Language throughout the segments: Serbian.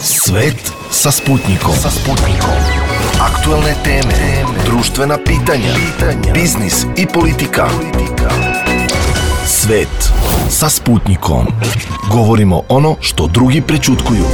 Svet sa Sputnikom. Aktuelne teme, društvena pitanja, biznis i politika. Svet sa Sputnikom. Govorimo ono što drugi prećutkuju.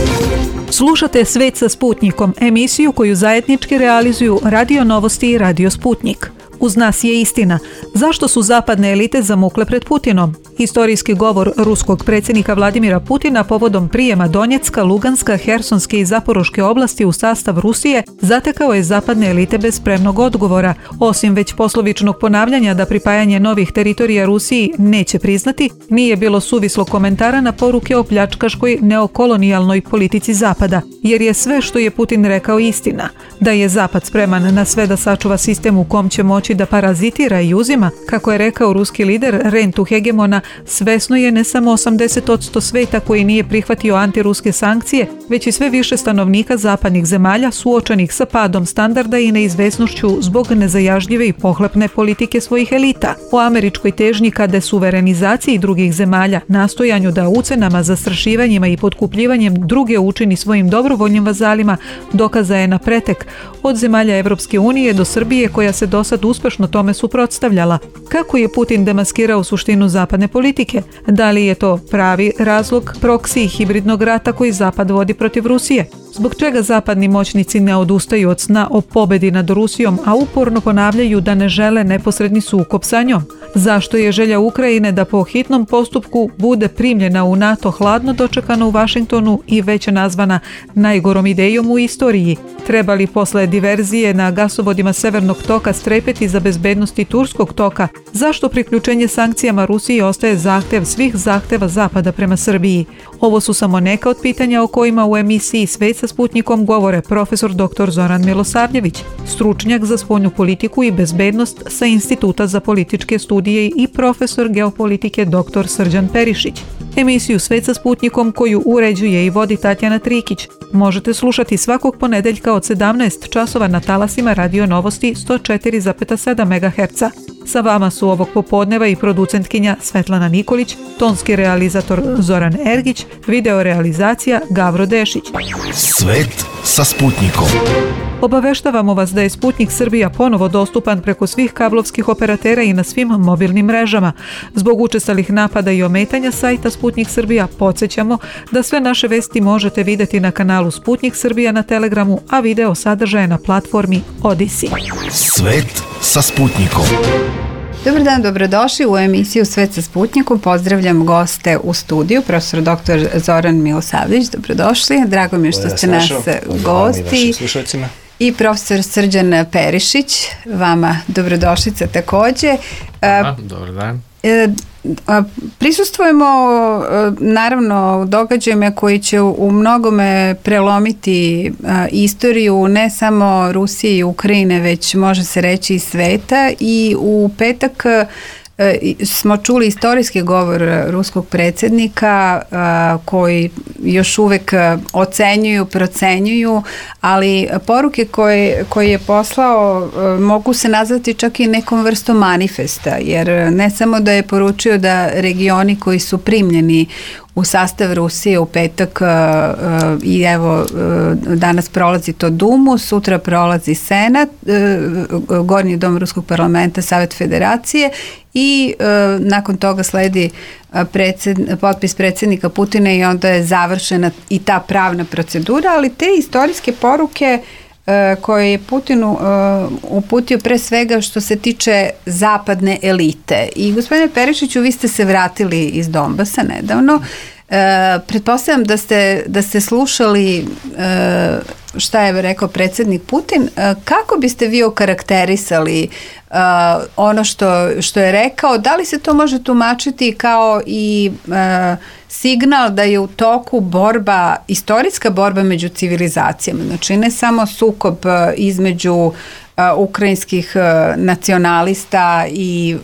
Slušate Svet sa Sputnikom, emisiju koju zajednički realizuju Radio Novosti i Radio Sputnik. Uz nas je istina. Zašto su zapadne elite zamukle pred Putinom? Historijski govor ruskog predsjednika Vladimira Putina povodom prijema Donjecka, Luganska, Hersonske i Zaporoške oblasti u sastav Rusije zatekao je zapadne elite bez spremnog odgovora. Osim već poslovičnog ponavljanja da pripajanje novih teritorija Rusiji neće priznati, nije bilo suvislog komentara na poruke o pljačkaškoj neokolonijalnoj politici Zapada, jer je sve što je Putin rekao istina. Da je Zapad spreman na sve da sačuva sistem u kom će moći da parazitira i uzima, kako je rekao ruski lider rentu hegemona, svesno je ne samo 80% sveta koji nije prihvatio antiruske sankcije, već i sve više stanovnika zapadnih zemalja suočenih sa padom standarda i neizvesnošću zbog nezajažljive i pohlepne politike svojih elita. O američkoj težnji ka desuverenizaciji drugih zemalja, nastojanju da ucenama, zastrašivanjima i potkupljivanjem druge učini svojim dobrovoljnim vazalima, dokaza je na pretek od zemalja Evropske unije do Srbije koja se dosad uspešno tome suprotstavljala. Kako je Putin demaskirao suštinu zapadne politike? Da li je to pravi razlog proksi i hibridnog rata koji Zapad vodi protiv Rusije? Zbog čega zapadni moćnici ne odustaju od sna o pobedi nad Rusijom, a uporno ponavljaju da ne žele neposredni sukob sa njom? Zašto je želja Ukrajine da po hitnom postupku bude primljena u NATO hladno dočekana u Vašingtonu i već nazvana najgorom idejom u istoriji? Treba li posle diverzije na gasovodima Severnog toka strepeti za bezbednosti Turskog toka? Zašto priključenje sankcijama Rusiji ostaje zahtev svih zahteva Zapada prema Srbiji? Ovo su samo neka od pitanja o kojima u emisiji Svet sa Sputnikom govore profesor dr. Zoran Milosavljević, stručnjak za spoljnu politiku i bezbednost sa Instituta za političke studije i profesor geopolitike dr. Srđan Perišić. Emisiju Svet sa Sputnikom koju uređuje i vodi Tatjana Trikić možete slušati svakog ponedeljka od 17 časova na talasima Radio Novosti 104,7 MHz. Sa vama su ovog popodneva i producentkinja Svetlana Nikolić, tonski realizator Zoran Ergić, video realizacija Gavro Dešić. Svet sa Sputnikom. Obaveštavamo vas da je Sputnik Srbija ponovo dostupan preko svih kablovskih operatera i na svim mobilnim mrežama. Zbog učestalih napada i ometanja sajta Sputnik Srbija podsjećamo da sve naše vesti možete vidjeti na kanalu Sputnik Srbija na Telegramu, a video sadržaje na platformi Odisi. Svet sa Sputnikom. Dobar dan, dobrodošli u emisiju Svet sa Sputnikom. Pozdravljam goste u studiju, profesor dr. Zoran Milosavljević, dobrodošli. Drago mi je što ste nas gosti. I profesor Srđan Perišić, vama dobrodošlica takođe. Dobar dan. Prisustvujemo naravno događajima koji će u mnogome prelomiti istoriju ne samo Rusije i Ukrajine, već može se reći i sveta, i u petak smo čuli istorijski govor ruskog predsjednika koji još uvek ocenjuju, procenjuju, ali poruke koje je poslao mogu se nazvati čak i nekom vrstom manifesta, jer ne samo da je poručio da regioni koji su primljeni u sastav Rusije u petak i evo danas prolazi to Dumu, sutra prolazi Senat, Gornji dom Ruskog parlamenta, Savet federacije i nakon toga sledi potpis predsjednika Putina i onda je završena i ta pravna procedura, ali te istorijske poruke koje je Putinu uputio pre svega što se tiče zapadne elite. I gospodine Perišiću, vi ste se vratili iz Donbasa nedavno. Pretpostavljam da ste slušali šta je rekao predsjednik Putin. Kako biste vi okarakterisali ono što je rekao? Da li se to može tumačiti kao i signal da je u toku borba, istorijska borba među civilizacijama? Znači ne samo sukob između ukrajinskih nacionalista i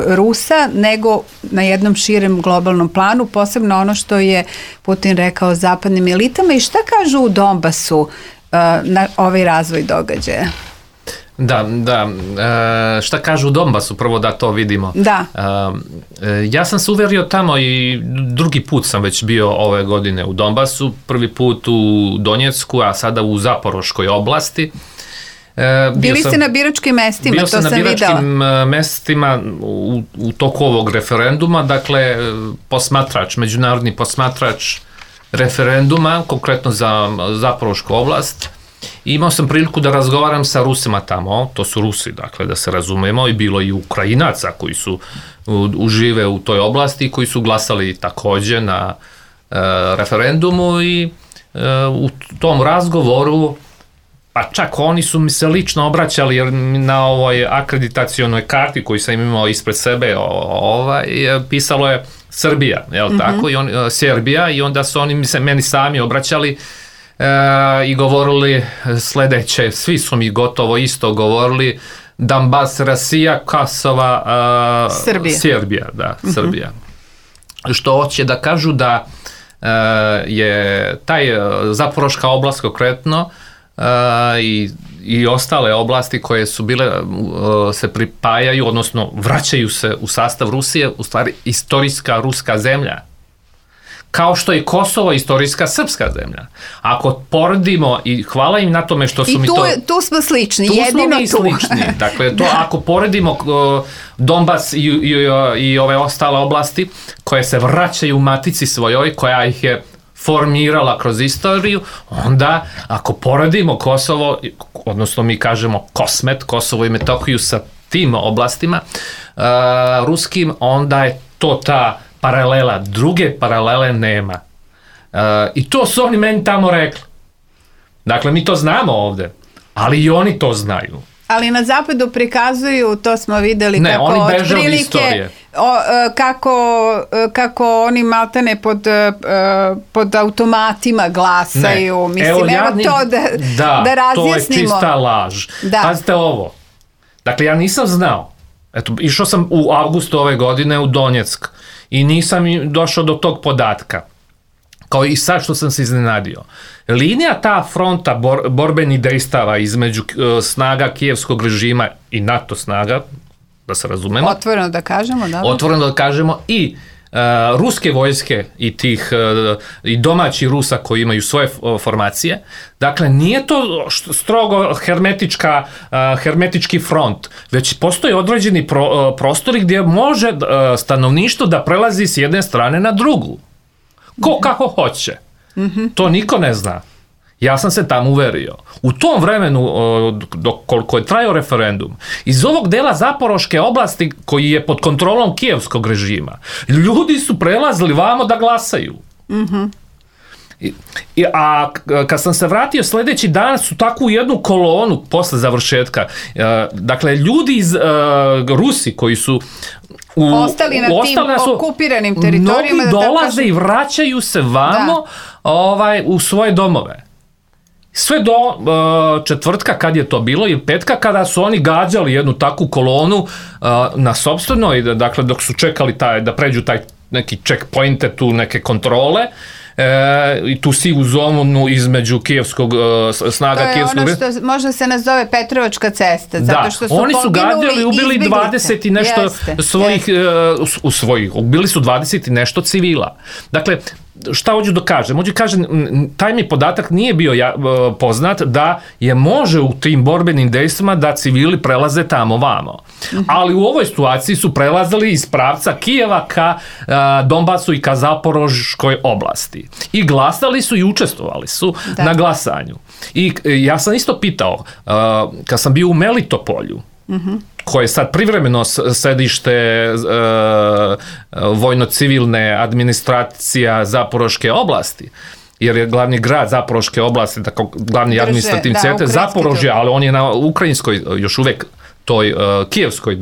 Rusa, nego na jednom širem globalnom planu, posebno ono što je Putin rekao zapadnim elitama. I šta kažu u Donbasu na ovaj razvoj događaja? Da. Šta kažu u Donbasu, prvo da to vidimo. Da. Ja sam se uverio tamo i drugi put sam već bio ove godine u Donbasu, prvi put u Donjecku, a sada u Zaporoškoj oblasti. Bili ste na biračkim mestima, to sam videla. Bio sam na biračkim mestima u toku ovog referenduma, dakle, međunarodni posmatrač referenduma, konkretno za Zaporošku oblast. Imao sam priliku da razgovaram sa Rusima tamo, to su Rusi, dakle, da se razumemo, i bilo i Ukrajinaca koji su užive u toj oblasti, koji su glasali takođe na referendumu i u tom razgovoru, pa čak oni su mi se lično obraćali, jer na ovoj akreditacionoj karti koju sam imao ispred sebe pisalo je Srbija, jel tako, Serbija, i onda su oni meni sami obraćali i govorili sledeće, svi su mi gotovo isto govorili, Donbas, Rasija, Kosova, Serbija, Srbija. Što hoće da kažu da je taj Zaporoška oblast konkretno i ostale oblasti koje su bile, se pripajaju, odnosno vraćaju se u sastav Rusije, u stvari istorijska ruska zemlja. Kao što je Kosovo istorijska srpska zemlja. Ako poredimo, i hvala im na tome što su mi to... I tu smo slični, jedino tu. Slični. Dakle, to ako poredimo Donbas i ove ostale oblasti koje se vraćaju u matici svojoj, koja ih je formirala kroz istoriju, onda ako poredimo Kosovo, odnosno mi kažemo Kosmet, Kosovo i Metohiju sa tim oblastima ruskim, onda je to ta paralela, druge paralele nema. I to su oni meni tamo rekli. Dakle, mi to znamo ovde, ali i oni to znaju. Ali na zapadu prikazuju, to smo videli, kako oni beže od istorije. Kako oni maltene pod automatima glasaju. Mislim, evo to da razjasnimo. To je čista laž. Pazite ovo. Dakle, ja nisam znao. Eto, išao sam u avgustu ove godine u Donjeck i nisam došao do tog podatka. Kao i sad što sam se iznenadio. Linija ta fronta borbenih dejstava između snaga kijevskog režima i NATO snaga, da se razumemo. Otvoreno da kažemo, da. Otvoreno da kažemo i ruske vojske i tih i domaći Rusa koji imaju svoje formacije. Dakle, nije to strogo hermetički front, već postoji određeni prostori gdje može stanovništvo da prelazi s jedne strane na drugu. Ko kako hoće. To niko ne zna. Ja sam se tamo uverio. U tom vremenu, koliko je trajao referendum, iz ovog dela Zaporoške oblasti koji je pod kontrolom kijevskog režima, ljudi su prelazili vamo da glasaju. A kad sam se vratio sledeći dan su takvu jednu kolonu posle završetka. Dakle, ljudi iz Rusi koji su ostali na tim okupiranim teritorijama, mnogi dolaze i vraćaju se vamo u svoje domove. Sve do četvrtka kad je to bilo i petka kada su oni gađali jednu takvu kolonu na sopstvenoj, dakle dok su čekali da pređu taj neki checkpointe, tu neke kontrole, i tu sivu zonu između kijevskog snaga kijevskog... To je ono što možda se nazove Petrovačka cesta, zato što su oni su gađali, ubili 20 i nešto svojih, ubili su 20 i nešto civila. Dakle, šta hoću da kažem? Hoću da kažem, taj mi podatak nije bio poznat da je može u tim borbenim dejstvima da civili prelaze tamo vamo. Ali u ovoj situaciji su prelazili iz pravca Kijeva ka Donbasu i ka Zaporoškoj oblasti. I glasali su i učestvovali su na glasanju. I ja sam isto pitao, kad sam bio u Melitopolju, koje je sad privremeno sedište vojno-civilne administracija Zaporoške oblasti, jer je glavni grad Zaporoške oblasti, tako glavni administrativni centar Zaporožje, ali on je na ukrajinskoj još uvek toj kijevskoj,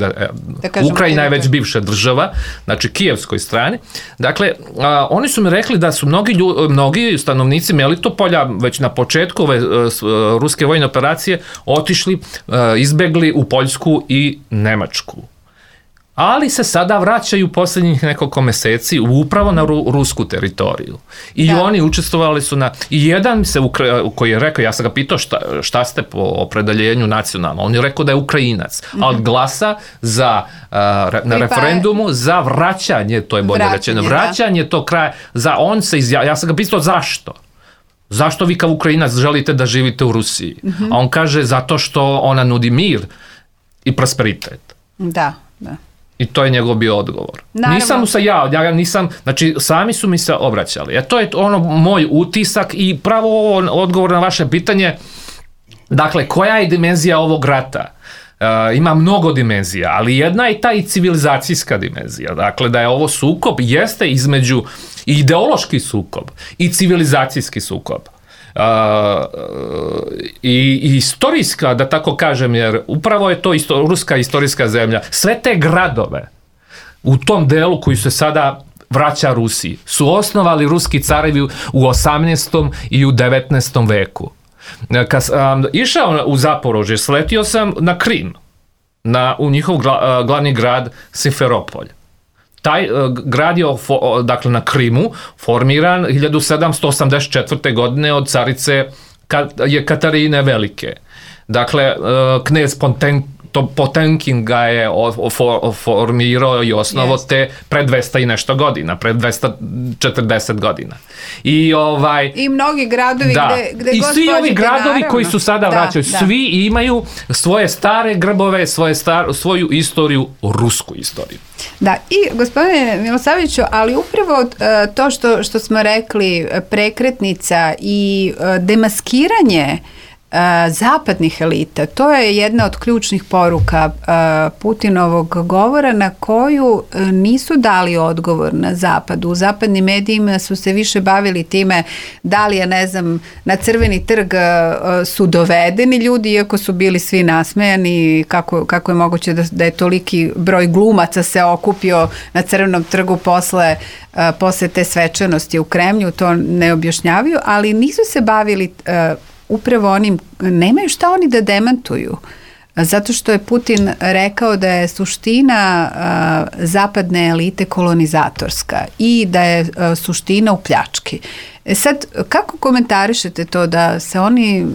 Ukrajina je već bivša država, znači kijevskoj strani. Dakle, oni su mi rekli da su mnogi stanovnici Melitopolja već na početku ove ruske vojne operacije otišli, izbegli u Poljsku i Nemačku. ali se sada vraćaju posljednjih nekoliko meseci upravo na rusku teritoriju. I oni učestvovali su i jedan se koji je rekao, ja sam ga pitao šta ste po opredeljenju nacionalno, on je rekao da je Ukrajinac, ali glasa na referendumu za vraćanje, to je bolje rečeno, vraćanje tog kraja, ja sam ga pitao zašto? Zašto vi kao Ukrajinac želite da živite u Rusiji? A on kaže zato što ona nudi mir i prosperitet. Da. I to je njegov bio odgovor. Naravno. Znači sami su mi se obraćali. To je moj utisak i pravo odgovor na vaše pitanje. Dakle, koja je dimenzija ovog rata? Ima mnogo dimenzija, ali jedna je ta i civilizacijska dimenzija. Dakle, da je ovo sukob, jeste između ideološki sukob i civilizacijski sukob. I istorijska, da tako kažem, jer upravo je to ruska istorijska zemlja. Sve te gradove u tom delu koji se sada vraća Rusiji su osnovali ruski carevi u 18. i u 19. veku. Kad sam išao u Zaporožje, sletio sam na Krim, u njihov glavni grad Simferopolj. Taj grad je dakle, na Krimu formiran 1784. godine od carice Katarine Velike. Dakle, knez Potemkin ga je formirao i osnovo te pred 200 i nešto godina, pred 240 godina. I mnogi gradovi gde i svi ovi gradovi koji su sada vraćaju, svi imaju svoje stare grbove, svoju istoriju, rusku istoriju. Da, i gospodine Milosavljeviću, ali upravo to što smo rekli, prekretnica i demaskiranje zapadnih elita, to je jedna od ključnih poruka Putinovog govora na koju nisu dali odgovor na zapadu. U zapadnim medijima su se više bavili time da li je, na Crveni trg su dovedeni ljudi, iako su bili svi nasmejani, kako je moguće da je toliki broj glumaca se okupio na Crvenom trgu posle te svečanosti u Kremlju, to ne objašnjavaju, ali nisu se bavili upravo onim, nemaju šta oni da demantuju, zato što je Putin rekao da je suština zapadne elite kolonizatorska i da je suština u pljački. Sad, kako komentarišete to da se oni,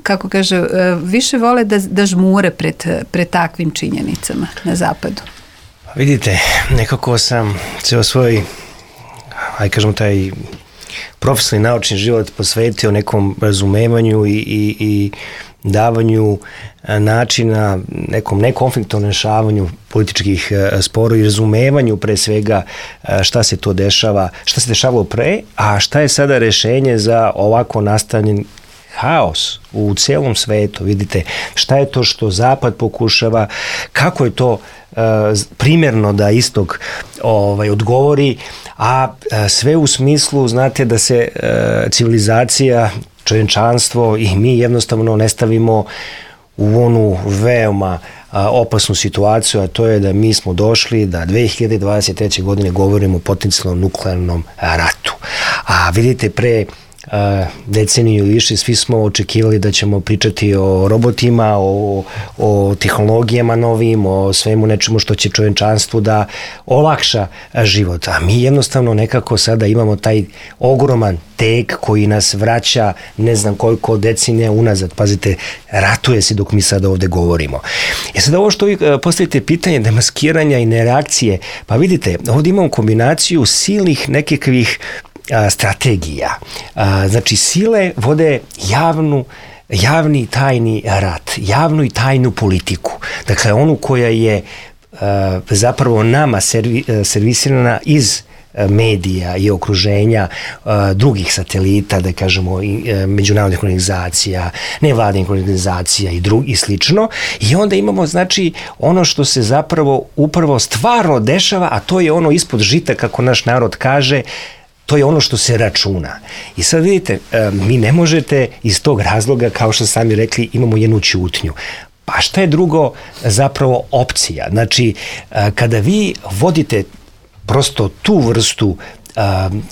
kako kaže, više vole da žmure pred takvim činjenicama na zapadu? Vidite, nekako sam ceo svoj, taj profesionalni naučni život posvetio nekom razumevanju i davanju načina nekom nekonfliktnom rešavanju političkih sporova i razumevanju pre svega šta se to dešava, šta se dešavalo pre, a šta je sada rešenje za ovako nastavljen haos u celom svetu. Vidite, šta je to što Zapad pokušava, kako je to primjerno da Istok odgovori, a sve u smislu, znate, da se civilizacija, čovječanstvo i mi jednostavno ne stavimo u onu veoma opasnu situaciju, a to je da mi smo došli da 2023. godine govorimo o potencijalnom nuklearnom ratu. A vidite, pre deceniju i više svi smo očekivali da ćemo pričati o robotima, o tehnologijama novim, o svemu nečemu što će čovječanstvu da olakša život. A mi jednostavno nekako sada imamo taj ogroman tek koji nas vraća ne znam koliko decenija unazad. Pazite, ratuje se dok mi sada ovde govorimo. Sad ovo što vi postavite pitanje demaskiranja i nereakcije, pa vidite, ovdje imamo kombinaciju silnih nekakvih strategija. Znači, sile vode javni tajni rat, javnu i tajnu politiku. Dakle, onu koja je zapravo nama servisirana iz medija i okruženja drugih satelita, da kažemo, međunarodnih organizacija, nevladinih organizacija i slično. I onda imamo, znači, ono što se zapravo upravo stvarno dešava, a to je ono ispod žita, kako naš narod kaže, to je ono što se računa. I sad vidite, mi ne možete iz tog razloga, kao što sami rekli, imamo jednu ćutnju. Pa šta je drugo zapravo opcija? Znači, kada vi vodite prosto tu vrstu,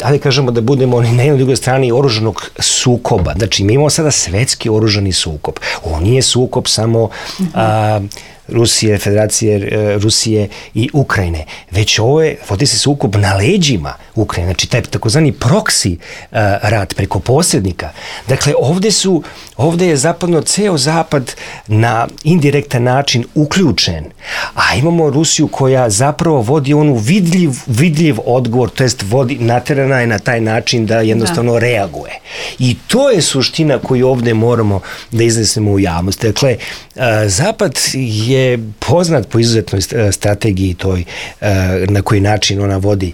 ali kažemo da budemo na jednoj drugoj strani oružanog sukoba. Znači, mi imamo sada svetski oružani sukob. Ovo nije sukob samo Rusije, Federacije Rusije i Ukrajine, već vodi se sukob na leđima Ukrajine, znači taj takozvani proksi rat preko posrednika. Dakle, ovde je zapadno, ceo zapad na indirektan način uključen, a imamo Rusiju koja zapravo vodi onu vidljiv odgovor, to jest naterana je na taj način da jednostavno reaguje. I to je suština koju ovde moramo da iznesemo u javnosti. Dakle, Zapad je poznat po izuzetnoj strategiji toj, na koji način ona vodi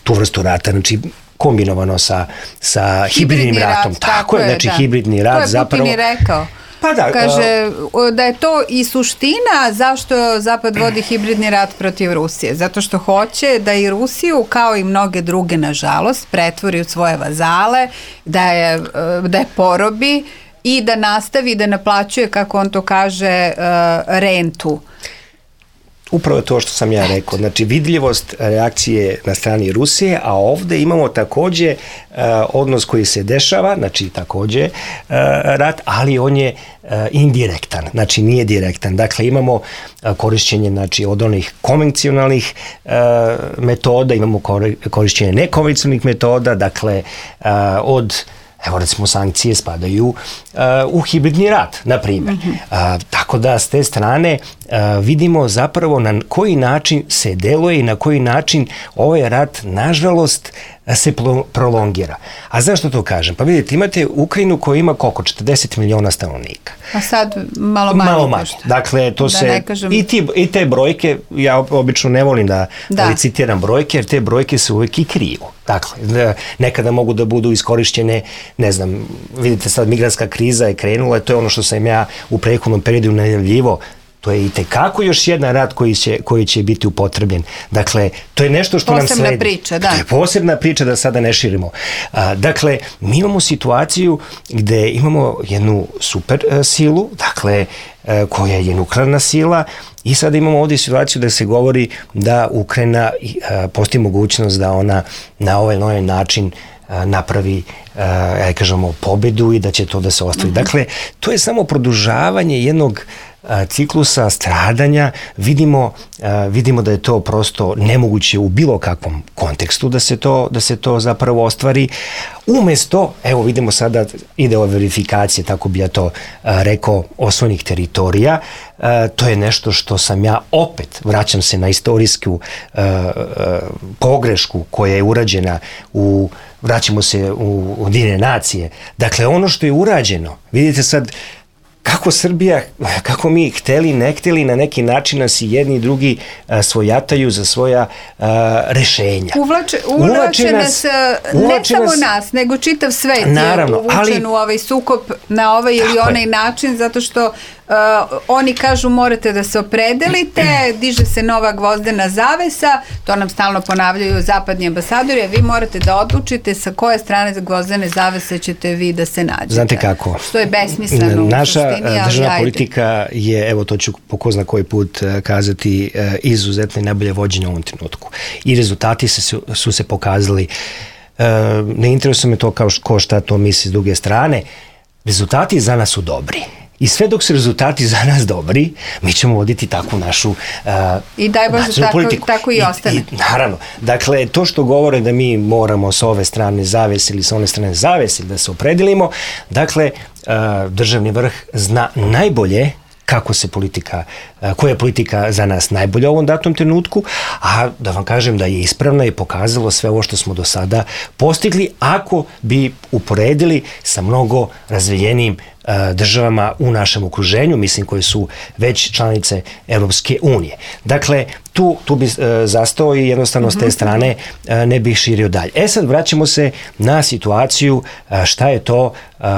tu vrstu rata, znači kombinovano sa hibridnim ratom. Tako je, znači hibridni rat zapravo... To je Putin i rekao. Pa da, kaže da je to i suština zašto Zapad vodi hibridni rat protiv Rusije. Zato što hoće da i Rusiju, kao i mnoge druge, nažalost, pretvori u svoje vazale, da je porobi i da nastavi da naplaćuje, kako on to kaže, rentu. Upravo je to što sam ja rekao, znači vidljivost reakcije na strani Rusije, a ovde imamo takođe odnos koji se dešava, znači takođe rat, ali on je indirektan, znači nije direktan. Dakle, imamo korišćenje, znači, od onih konvencionalnih metoda, imamo korišćenje nekonvencionalnih metoda, dakle, evo recimo sankcije spadaju u hibridni rat, na primjer. Tako da s te strane vidimo zapravo na koji način se deluje i na koji način ovaj rat, nažalost, se prolongira. A zašto to kažem? Pa vidite, imate Ukrajinu koja ima koliko? 40 miliona stanovnika. A sad malo manje. Dakle, to se... I te brojke, ja obično ne volim da citiram brojke, jer te brojke se uvek i kriju. Dakle, nekada mogu da budu iskorišćene, ne znam, vidite sad migrantska kriza je krenula, to je ono što sam ja u prethodnom periodu najavljivao. To je i tekako još jedan rat koji će biti upotrebljen. Dakle, to je nešto što nam sledi. Posebna priča, da. To je posebna priča, da sada ne širimo. Dakle, mi imamo situaciju gde imamo jednu super silu, dakle, koja je nuklearna sila, i sada imamo ovdje situaciju da se govori da Ukrajina postoji mogućnost da ona na ovaj način napravi, kažemo, pobedu i da će to da se ostvari. Dakle, to je samo produžavanje jednog ciklusa stradanja. Vidimo da je to prosto nemoguće u bilo kakvom kontekstu da se to zapravo ostvari. Umesto, evo vidimo sada, ide ova verifikacija, tako bi ja to rekao, osvojenih teritorija. To je nešto što sam ja opet, vraćam se na istorijsku pogrešku koja je urađena vraćamo se u Ujedinjene nacije. Dakle, ono što je urađeno, vidite sad kako Srbija, kako mi hteli, ne hteli, na neki način nas i jedni i drugi svojataju za svoja rešenja. Uvlače nas, ne samo nas, nego čitav svet je uvučen u ovaj sukob na ovaj ili onaj način, zato što oni kažu morate da se opredelite, diže se nova gvozdena zavesa, to nam stalno ponavljaju zapadni ambasadori, a vi morate da odlučite sa koje strane gvozdene zavese ćete vi da se nađete. Znate kako? Što je besmisleno. Naša državna politika je, evo to ću po ko zna koji put kazati, izuzetno i najbolje vođenje u ovom trenutku. I rezultati su se pokazali. Ne interesuje me to ko šta to misli s druge strane. Rezultati za nas su dobri. I sve dok su rezultati za nas dobri, mi ćemo voditi takvu našu i daj Bože tako i ostane. Naravno. Dakle, to što govore da mi moramo s ove strane zavese ili s one strane zavese da se opredelimo, dakle, državni vrh zna najbolje kako se koja je politika za nas najbolja u ovom datom trenutku, a da vam kažem da je ispravna i pokazalo sve ovo što smo do sada postigli, ako bi uporedili sa mnogo razvijenijim državama u našem okruženju, mislim koje su već članice Evropske unije. Dakle, tu bi zastao i jednostavno s te strane ne bih širio dalje. Sad vraćamo se na situaciju šta je to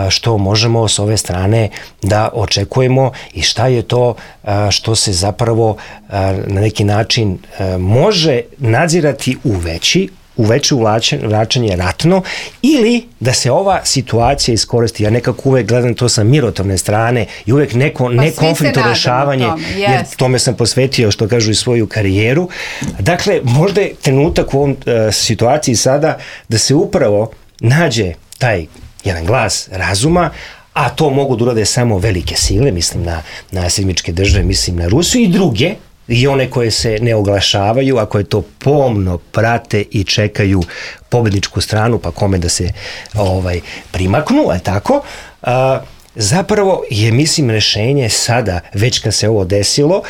što možemo s ove strane da očekujemo i šta je to što se zapravo na neki način može nadzirati u veće uvlačenje ratno, ili da se ova situacija iskoristi. Ja nekako uvek gledam to sa mirotvorne strane i uvek neko nekonfliktno rešavanje, jer tome sam posvetio, što kažu, i svoju karijeru. Dakle, možda je trenutak u ovom situaciji sada da se upravo nađe taj jedan glas razuma, a to mogu da urade samo velike sile, mislim na Sjedinjene Države, mislim na Rusiju i druge, i one koje se ne oglašavaju, a koje to pomno prate i čekaju pobedničku stranu, pa kome da se primaknu, a tako, zapravo je, mislim, rešenje sada, već kad se ovo desilo,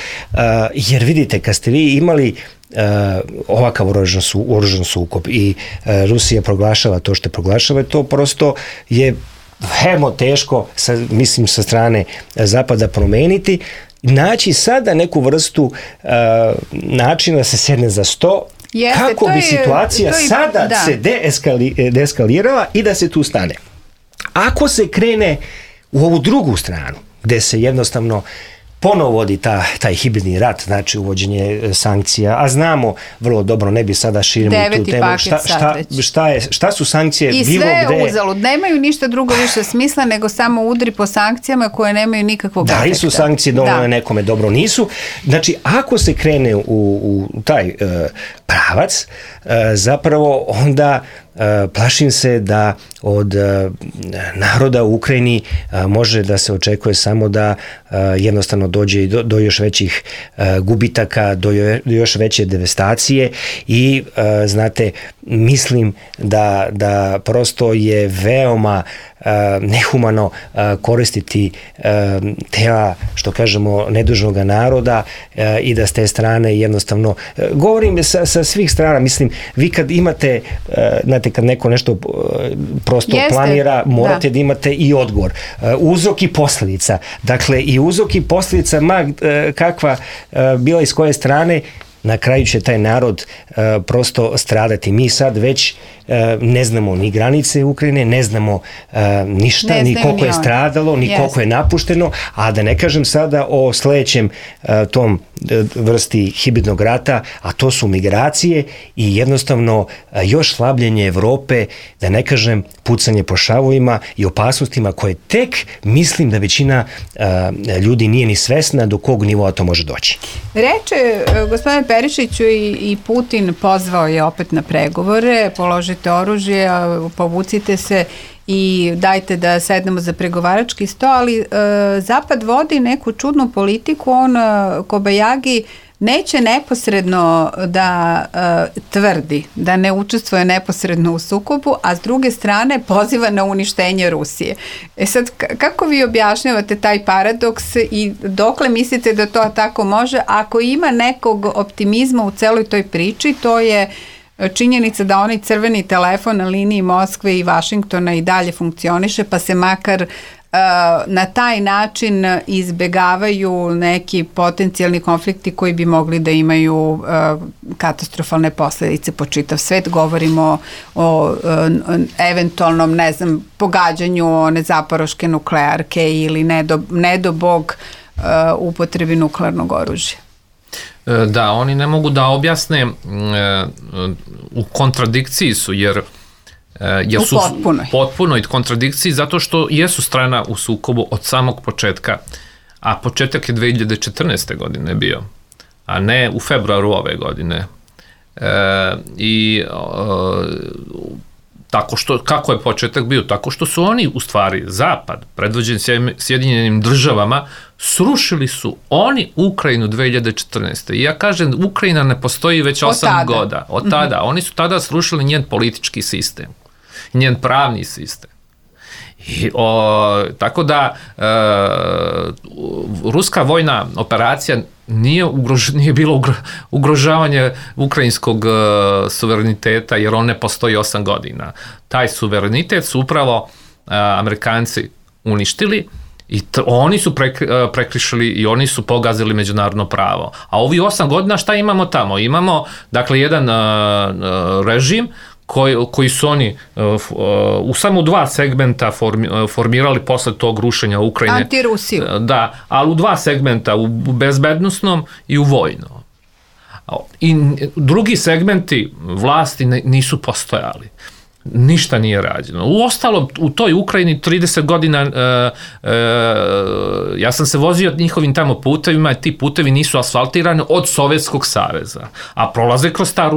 jer vidite, kad ste vi imali ovakav oružan sukob i Rusija proglašava to što proglašava, to prosto je veoma teško, mislim, sa strane Zapada promeniti, naći sada neku vrstu načina da se sedne za sto, kako bi situacija sada se deeskalirala i da se tu stane. Ako se krene u ovu drugu stranu, gde se jednostavno ponovo vodi taj hibridni rat, znači uvođenje sankcija, a znamo vrlo dobro, ne bi sada širimo tu temu, šta su sankcije i bilo gde. I sve uzalud, nemaju ništa drugo više smisla nego samo udri po sankcijama koje nemaju nikakvog efekta. Da li su sankcije dovoljne nekome, dobro nisu. Znači, ako se krene u taj pravac, zapravo onda plašim se da od naroda u Ukrajini može da se očekuje samo da jednostavno dođe do još većih gubitaka, do još veće devastacije i znate, mislim da prosto je veoma nehumano koristiti tela, što kažemo, nedužnog naroda i da s te strane jednostavno, govorim sa svih strana, mislim, vi kad imate, znate, kad neko nešto prosto planira, morate da imate i odgovor. Uzrok i posljedica. Dakle, i uzrok i posljedica, kakva bila iz koje strane, na kraju će taj narod prosto stradati. Mi sad već ne znamo ni granice Ukrajine, ne znamo ništa, ni koliko je stradalo, ni koliko je napušteno, a da ne kažem sada o sledećem tom vrsti hibridnog rata, a to su migracije i jednostavno još slabljenje Evrope, da ne kažem pucanje po šavovima i opasnostima koje tek mislim da većina ljudi nije ni svesna do kog nivoa to može doći. Reče, gospodine Perišiću, i Putin pozvao je opet na pregovore, položite oružje, povucite se i dajte da sednemo za pregovarački sto, ali Zapad vodi neku čudnu politiku, on kobajagi neće neposredno da tvrdi, da ne učestvuje neposredno u sukobu, a s druge strane poziva na uništenje Rusije. Sad, kako vi objašnjavate taj paradoks i dokle mislite da to tako može? Ako ima nekog optimizma u celoj toj priči, to je činjenica da onaj crveni telefon na liniji Moskve i Vašingtona i dalje funkcioniše, pa se makar na taj način izbegavaju neki potencijalni konflikti koji bi mogli da imaju katastrofalne posledice po čitav svet. Govorimo o eventualnom, ne znam, pogađanju one zaporoške nuklearke ili ne do Bog upotrebi nuklearnog oružja. Da, oni ne mogu da objasne, u kontradikciji su, jer su potpunoj kontradikciji, zato što jesu strana u sukobu od samog početka, a početak je 2014. godine bio, a ne u februaru ove godine. Kako je početak bio? Tako što su oni, u stvari, Zapad, predvođen Sjedinjenim Državama, srušili su oni Ukrajinu 2014. I ja kažem, Ukrajina ne postoji već 8 godina. Od tada. Oni su tada srušili njen politički sistem, njen pravni sistem. Tako da ruska vojna operacija nije bilo ugrožavanje ukrajinskog suvereniteta, jer on ne postoji 8 godina. Taj suverenitet su upravo Amerikanci uništili i oni su prekrišili i oni su pogazili međunarodno pravo. A ovi 8 godina šta imamo tamo? Imamo, dakle, jedan režim koji su oni u samo 2 segmenta formirali posle tog rušenja Ukrajine. Antirusiju. Da, ali u 2 segmenta, u bezbednosnom i u vojnom. I drugi segmenti vlasti nisu postojali. Ništa nije rađeno. Uostalom, u toj Ukrajini 30 godina ja sam se vozio njihovim tamo putevima i ti putevi nisu asfaltirani od Sovjetskog saveza, a prolaze kroz ta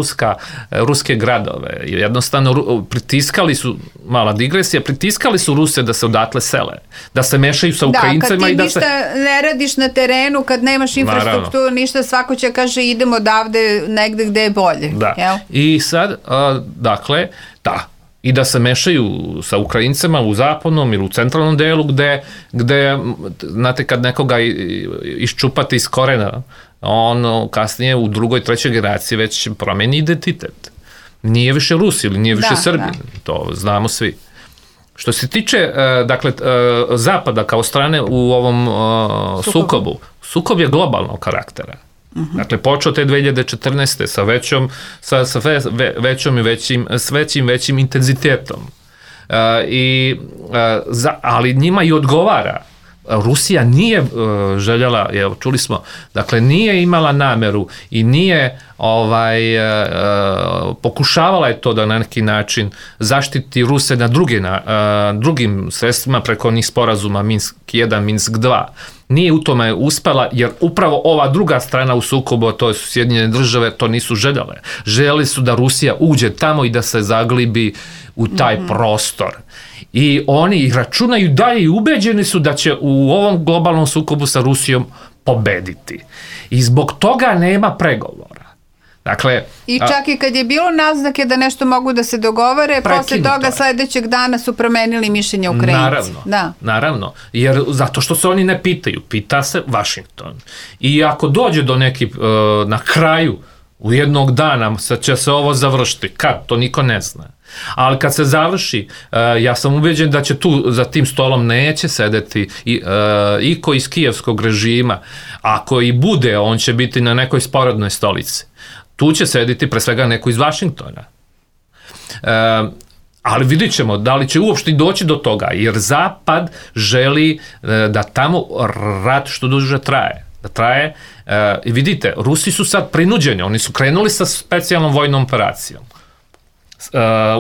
ruske gradove. Jednostavno pritiskali su, mala digresija, pritiskali su Ruse da se odatle sele, da se mešaju sa Ukrajincima. Da, kad ti ništa ne radiš na terenu, kad nemaš infrastrukturu, ništa, svako će kaže idemo odavde negde gde je bolje. Da. Jel? I sad, dakle, i da se mešaju sa Ukrajincima u zapadnom ili u centralnom delu gde znate, kad nekoga iščupate iz korena, on kasnije u drugoj, trećoj generaciji već promeni identitet. Nije više Rus ili nije više Srbin. To znamo svi. Što se tiče, dakle, Zapada kao strane u ovom sukobu, sukob je globalnog karaktera. Dakle, počeo te 2014. sa većim intenzitetom. Ali njima i odgovara. Rusija nije željela, evo, čuli smo, dakle, nije imala nameru i nije pokušavala je to da na neki način zaštiti Ruse na drugim sredstvima preko onih sporazuma Minsk 1, Minsk 2. Nije u tome uspela, jer upravo ova druga strana u sukobu, to su Sjedinjene države, to nisu željele. Željeli su da Rusija uđe tamo i da se zaglibi u taj prostor. I oni računaju dalje i ubeđeni su da će u ovom globalnom sukobu sa Rusijom pobediti. I zbog toga nema pregovora. Dakle, i čak i kad je bilo naznake da nešto mogu da se dogovore, posle toga sledećeg dana su promenili mišljenje Ukrajinci. Naravno, jer zato što se oni ne pitaju, pita se Vašington. I ako dođe do na kraju, u jednog dana će se ovo završiti, kad, to niko ne zna. Ali kad se završi, ja sam ubeđen da će tu za tim stolom neće sedeti iko iz kijevskog režima. Ako i bude, on će biti na nekoj sporednoj stolici. Tu će sediti pre svega neko iz Vašingtona. Ali vidit ćemo da li će uopšte doći do toga, jer Zapad želi da tamo rat što duže traje. I vidite, Rusi su sad prinuđeni, oni su krenuli sa specijalnom vojnom operacijom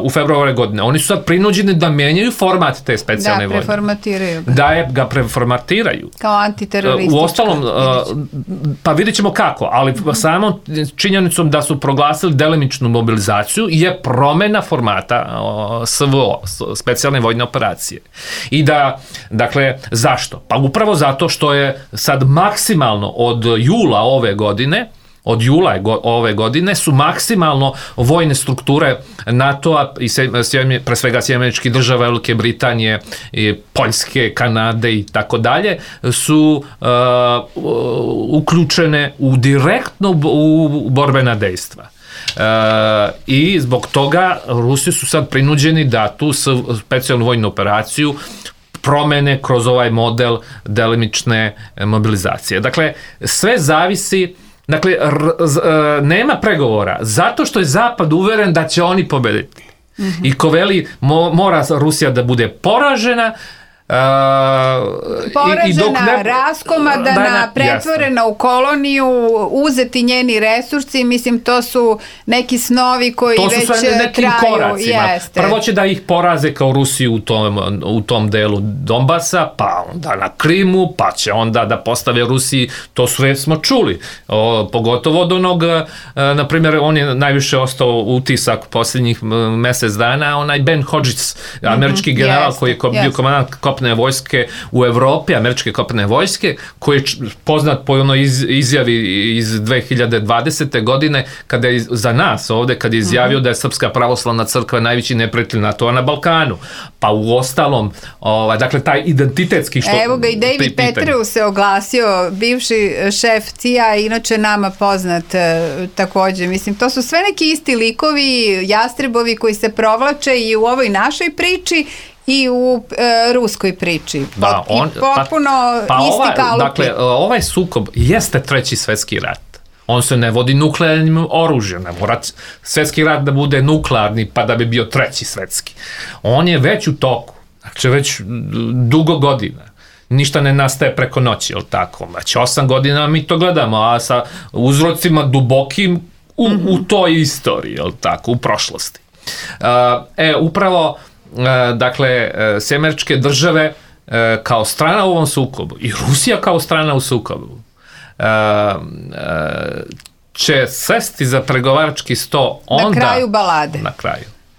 u februaru godine. Oni su sad prinuđeni da menjaju format te specijalne vojne. Da, preformatiraju ga. Da ga preformatiraju. Kao antiteroristička. Uostalom, pa vidjet ćemo kako, ali samom činjenicom da su proglasili delimičnu mobilizaciju je promena formata SVO, specijalne vojne operacije. I da, dakle, zašto? Pa upravo zato što je sad maksimalno od jula ove godine su maksimalno vojne strukture NATO-a i pre svega Sjedinjenih Država, Velike Britanije, Poljske, Kanade i tako dalje su uključene direktno u borbena dejstva. I zbog toga Rusi su sad prinuđeni da tu specijalnu vojnu operaciju promene kroz ovaj model delimične mobilizacije. Dakle, sve zavisi. Dakle, nema pregovora, zato što je Zapad uveren da će oni pobediti. I ko veli, mora Rusija da bude poražena, raskomadana, pretvorena u koloniju, uzeti njeni resursi, mislim, to su neki snovi koji već traju. Prvo će da ih poraze kao Rusiju u tom delu Donbasa, pa onda na Krimu, pa će onda da postave Rusiji, to sve smo čuli, pogotovo od onog, na primjer, on je najviše ostao utisak posljednjih mesec dana, onaj Ben Hodges, američki general koji je bio komandant kopnene vojske u Evropi, američke kopnene vojske, koji je poznat po onoj izjavi iz 2020. godine kada je za nas ovde, kada je izjavio da je Srpska pravoslavna crkva najveći neprijatelj NATO-a na Balkanu. Pa u ostalom, dakle, taj identitetski što... Evo ga i David Petraeus se oglasio, bivši šef CIA, inače nama poznat takođe. Mislim, to su sve neki isti likovi, jastrebovi koji se provlače i u ovoj našoj priči i u ruskoj priči. Potpuno isti kalupi. Dakle, ovaj sukob jeste treći svetski rat. On se ne vodi nuklearnim oružjem. Ne mora svetski rat da bude nuklearni pa da bi bio treći svetski. On je već u toku. Znači, već dugo godina. Ništa ne nastaje preko noći, je li tako? Već 8 godina mi to gledamo, a sa uzrocima dubokim u toj istoriji, je li tako, u prošlosti. Upravo, dakle, Američke države kao strana u ovom sukobu i Rusija kao strana u sukobu će sesti za pregovarački sto onda... Na kraju balade.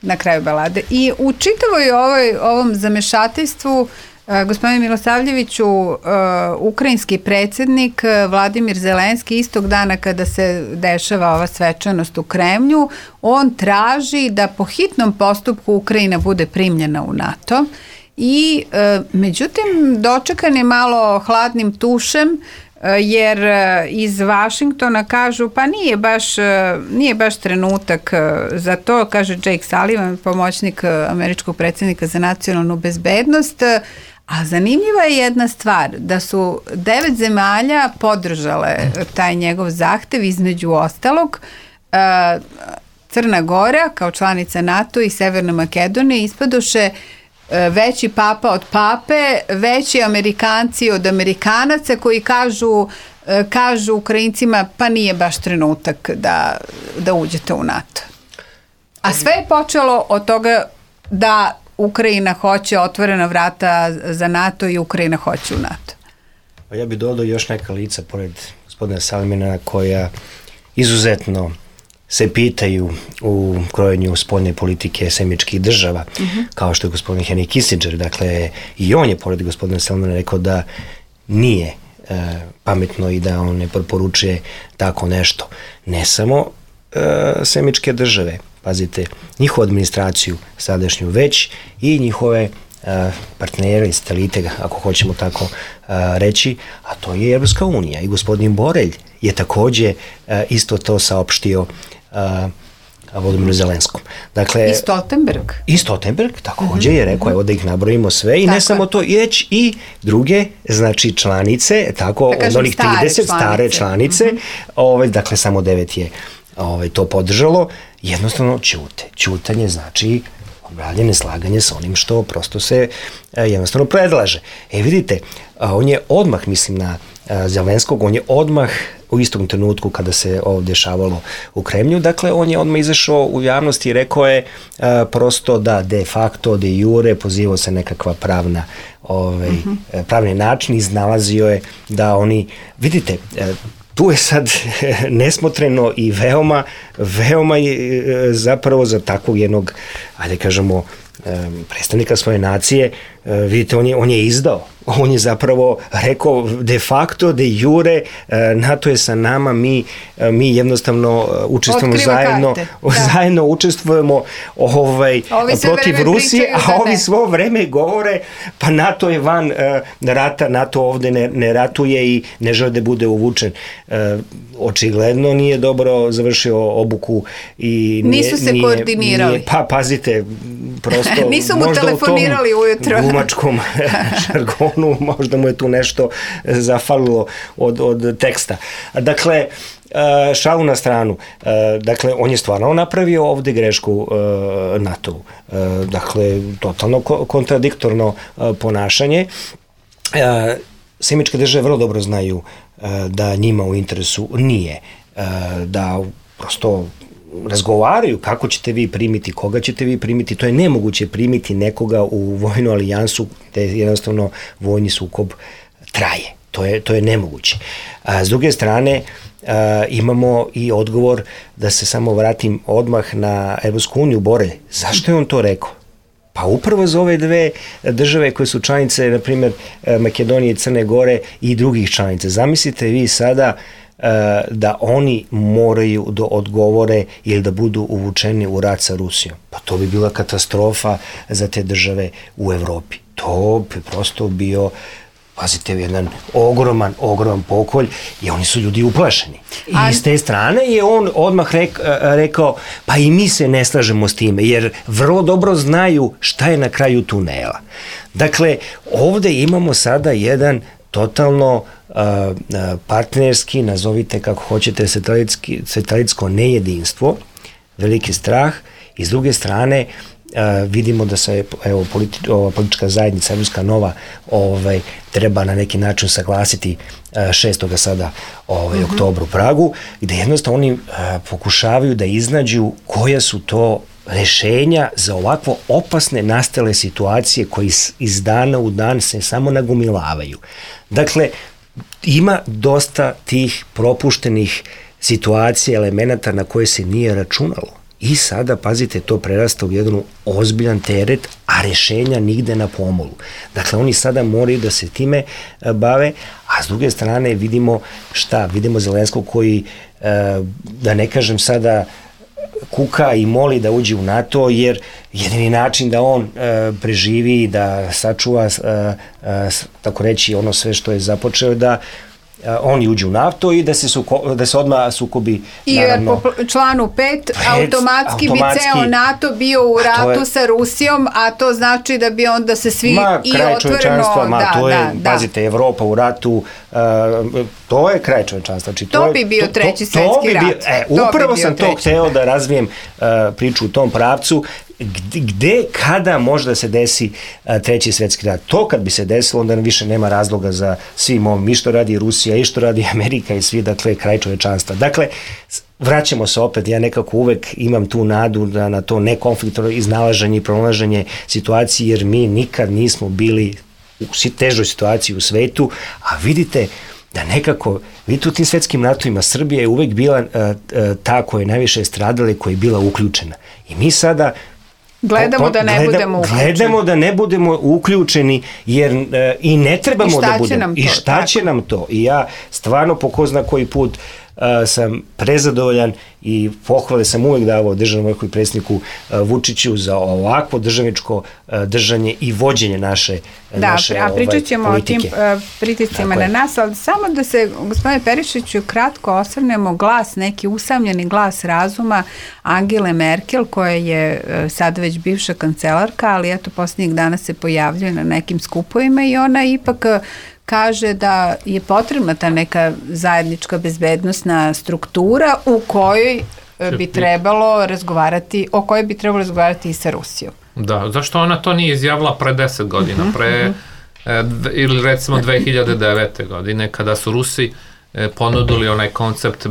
Na kraju balade. I u čitavoj ovom zamešateljstvu, gospodine Milosavljeviću, ukrajinski predsjednik Vladimir Zelenski istog dana kada se dešava ova svečanost u Kremlju, on traži da po hitnom postupku Ukrajina bude primljena u NATO i međutim dočekan je malo hladnim tušem, jer iz Vašingtona kažu pa nije baš trenutak za to, kaže Jake Sullivan, pomoćnik američkog predsjednika za nacionalnu bezbednost. A zanimljiva je jedna stvar, da su 9 zemalja podržale taj njegov zahtev, između ostalog Crna Gora kao članica NATO i Severna Makedonija ispadoše veći papa od pape, veći Amerikanci od Amerikanaca koji kažu Ukrajincima pa nije baš trenutak da uđete u NATO. A sve je počelo od toga da Ukrajina hoće otvorena vrata za NATO i Ukrajina hoće u NATO. Ja bih dodao još neka lica pored gospodina Salimina koja izuzetno se pitaju u krojenju spoljne politike Američkih država, kao što je gospodin Henry Kissinger. Dakle, i on je pored gospodina Salimina rekao da nije pametno i da on ne preporučuje tako nešto. Ne samo Američke države, pazite, njihovu administraciju sadašnju, već i njihove partnere i satelite, ako hoćemo tako reći, a to je Evropska unija. I gospodin Borelj je takođe isto to saopštio Volodimiru Zelenskom. Dakle, I Stoltenberg takođe je rekao, evo da ih nabrojimo sve, i ne samo to, već i druge, znači članice, tako, od onih 30 stare članice, dakle samo 9 je to podržalo, jednostavno ćutanje znači obravljanje, slaganje sa onim što prosto se jednostavno predlaže. Vidite, on je odmah, mislim na Zelenskog, on je odmah u istom trenutku kada se ovo dešavalo u Kremlju, dakle on je odmah izašao u javnosti i rekao je prosto da de facto, de jure, pozivao se nekakva pravni način, iznalazio je da oni, vidite, tu je sad nesmotreno i veoma zapravo za takvog jednog, ajde kažemo, predstavnika svoje nacije, vidite, on je izdao. On je zapravo rekao de facto, de jure, NATO je sa nama, mi jednostavno učestvujemo zajedno učestvujemo protiv Rusije, a ovi svo vreme govore pa NATO je van rata, NATO ovde ne ratuje i ne žele da bude uvučen. Očigledno nije dobro završio obuku i nisu se koordinirali. Pa pazite, prosto nisu mu telefonirali ujutro. Glumačkom žargonu, možda mu je tu nešto zafalilo od teksta. Dakle, šalu na stranu. Dakle, on je stvarno napravio ovde grešku NATO-u. Dakle, totalno kontradiktorno ponašanje. Američke države vrlo dobro znaju da njima u interesu nije da prosto razgovaraju kako ćete vi primiti, koga ćete vi primiti. To je nemoguće primiti nekoga u vojnu alijansu gde jednostavno vojni sukob traje. To je nemoguće. S druge strane, imamo i odgovor, da se samo vratim odmah na Evropsku uniju, Borelj. Zašto je on to rekao? Pa upravo za ove dve države koje su članice, na primjer Makedonije i Crne Gore i drugih članica. Zamislite vi sada da oni moraju da odgovore ili da budu uvučeni u rat sa Rusijom. Pa to bi bila katastrofa za te države u Evropi. To bi prosto bio, pazite, jedan ogroman pokolj i oni su ljudi uplašeni. I s te strane je on odmah rekao, pa i mi se ne slažemo s time, jer vrlo dobro znaju šta je na kraju tunela. Dakle, ovde imamo sada jedan totalno partnerski, nazovite kako hoćete, satelitsko nejedinstvo, veliki strah, i s druge strane vidimo da se politička zajednica Evropska nova treba na neki način saglasiti 6. sada oktobra u Pragu, gde jednostavno oni pokušavaju da iznađu koja su to rešenja za ovakvo opasne nastale situacije koji iz dana u dan se samo nagomilavaju. Dakle, ima dosta tih propuštenih situacija, elemenata na koje se nije računalo. I sada, pazite, to prerasta u jedan ozbiljan teret, a rešenja nigde na pomolu. Dakle, oni sada moraju da se time bave, a s druge strane vidimo vidimo Zelenskog koji, da ne kažem sada, kuka i moli da uđe u NATO, jer jedini način da on preživi i da sačuva, tako reći, ono sve što je započeo, da oni uđu u NATO i da se odmah sukobi, naravno. I po članu 5 automatski bi ceo NATO bio u ratu sa Rusijom, a to znači da bi onda se svi i otvoreno... Pazite, Evropa u ratu, to je kraj čovečanstva. To bi bio treći svetski rat. Upravo sam to hteo da razvijem priču u tom pravcu, gde, kada može da se desi treći svetski rat. To kad bi se desilo, onda više nema razloga za svim ovim, i što radi Rusija, i što radi Amerika i svi, dakle, kraj čovečanstva. Dakle, vraćamo se opet, ja nekako uvek imam tu nadu da na to nekonfliktno iznalaženje i pronalaženje situacije, jer mi nikad nismo bili u težoj situaciji u svetu, a vidite da nekako, vidite u tim svetskim ratovima, Srbija je uvek bila ta koja je najviše stradala i koja je bila uključena. I mi sada Gledamo da ne budemo uključeni. Jer i ne trebamo da budemo. I šta će nam to? I ja stvarno po ko zna koji put sam prezadovoljan i pohvale sam uvek davao državnom vrhu i predsjedniku Vučiću za ovakvo državničko držanje i vođenje naše politike. A pričat ćemo o tim pritiscima na nas, ali samo da se, gospodine Perišiću, kratko osvrnemo glas, neki usamljeni glas razuma Angele Merkel, koja je sad već bivša kancelarka, ali eto posljednjih dana se pojavljuje na nekim skupovima i ona ipak kaže da je potrebna ta neka zajednička bezbednosna struktura u kojoj bi trebalo razgovarati, o kojoj bi trebalo razgovarati i sa Rusijom. Da, zašto ona to nije izjavila pre 10 godina, ili recimo 2009. godine, kada su Rusi ponudili onaj koncept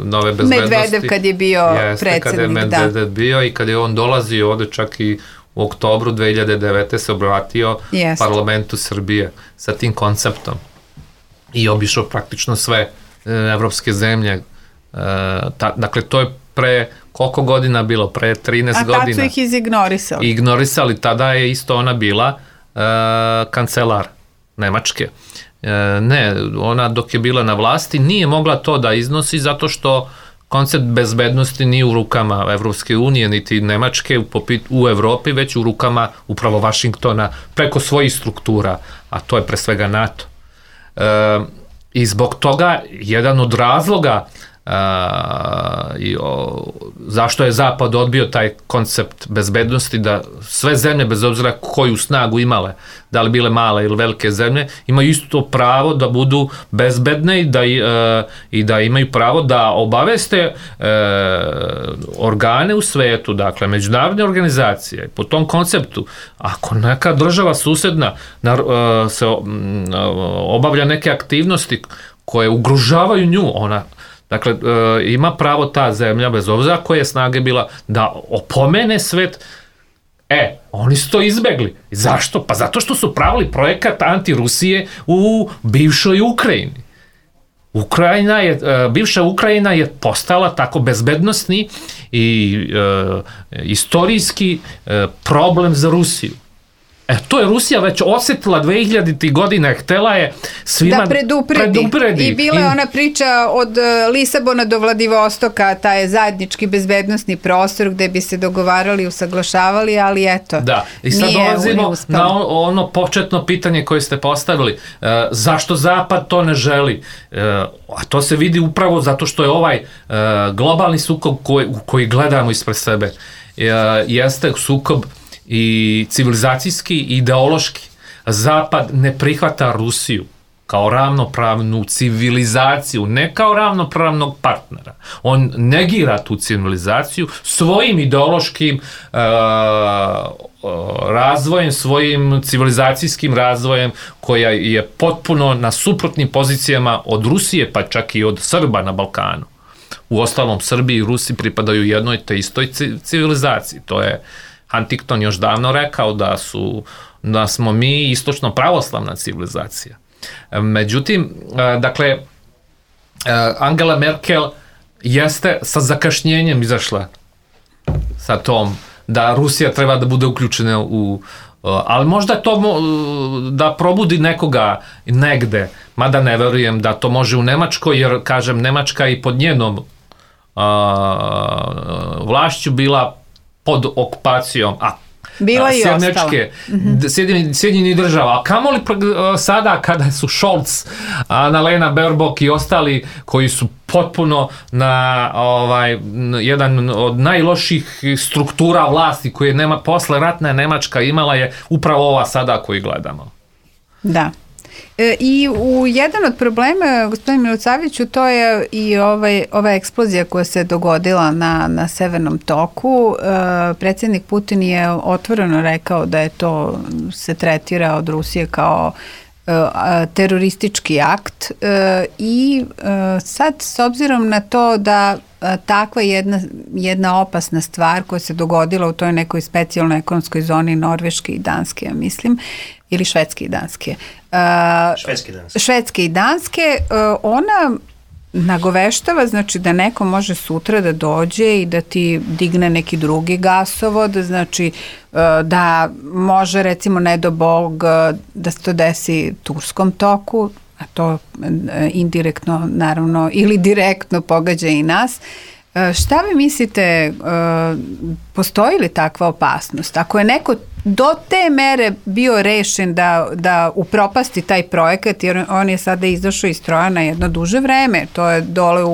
nove bezbednosti. Medvedev kad je bio predsjednik, kada je Medvedev bio i kad je on dolazio ovde čak i u oktobru 2009. se obratio parlamentu Srbije sa tim konceptom i obišao praktično sve evropske zemlje. Dakle, to je pre koliko godina bilo? Pre 13 godina. A tad su ih izignorisali. Ignorisali, tada je isto ona bila kancelar Nemačke. Ne, ona dok je bila na vlasti nije mogla to da iznosi zato što koncept bezbednosti nije u rukama Evropske unije niti Nemačke u Evropi, već u rukama upravo Vašingtona preko svojih struktura, a to je pre svega NATO. I zbog toga jedan od razloga zašto je Zapad odbio taj koncept bezbednosti, da sve zemlje, bez obzira koju snagu imale, da li bile male ili velike zemlje, imaju isto pravo da budu bezbedne i da imaju pravo da obaveste organe u svetu, dakle međunarodne organizacije. Po tom konceptu, ako neka država susedna se obavlja neke aktivnosti koje ugrožavaju nju, ona dakle, ima pravo ta zemlja, bez obzira koje snage bila, da opomene svet. Oni su to izbegli. Zašto? Pa zato što su pravili projekat anti-Rusije u bivšoj Ukrajini. Bivša Ukrajina je postala tako bezbednosni i istorijski problem za Rusiju. To je Rusija već osjetila 2000. godina, htela je svima da predupredi. I bila je ona priča od Lisabona do Vladivostoka, taj zajednički bezbednosni prostor gde bi se dogovarali, usaglašavali, ali eto, da. I sad dolazimo na ono početno pitanje koje ste postavili. Zašto Zapad to ne želi? A to se vidi upravo zato što je ovaj globalni sukob koji gledamo ispred sebe jeste sukob i civilizacijski i ideološki. Zapad ne prihvata Rusiju kao ravnopravnu civilizaciju, ne kao ravnopravnog partnera. On negira tu civilizaciju svojim ideološkim razvojem, svojim civilizacijskim razvojem koja je potpuno na suprotnim pozicijama od Rusije, pa čak i od Srba na Balkanu. U ostalom, Srbiji i Rusi pripadaju jednoj te istoj civilizaciji. To je Huntington još davno rekao da smo mi istočno pravoslavna civilizacija. Međutim, dakle, Angela Merkel jeste sa zakašnjenjem izašla sa tom da Rusija treba da bude uključena ali možda to da probudi nekoga negde, mada ne verujem da to može u Nemačkoj, jer kažem, Nemačka i pod njenom vlašću bila pod okupacijom, bila i Sjedinjenih država, a kamoli sada kada su Scholz, Annalena Baerbock i ostali koji su potpuno na jedan od najloših struktura vlasti koje posle ratna Nemačka imala je upravo ova sada koju gledamo. Da. I jedan od problema, gospodin Milosavljeviću, to je i ova eksplozija koja se dogodila na Severnom toku. Predsjednik Putin je otvoreno rekao da je to se tretira od Rusije kao teroristički akt i sad s obzirom na to da takva jedna opasna stvar koja se dogodila u toj nekoj specijalnoj ekonomskoj zoni Norveške i Danske, ja mislim, ili Švedske i Danske. Švedske i Danske, ona nagoveštava, znači da neko može sutra da dođe i da ti digne neki drugi gasovod, znači da može recimo ne do Bog da se to desi Turskom toku, a to indirektno naravno ili direktno pogađa i nas. Šta vi mislite, postoji li takva opasnost? Ako je neko do te mere bio rešen da upropasti taj projekat, jer on je sada izašao iz stroja na jedno duže vreme, to je dole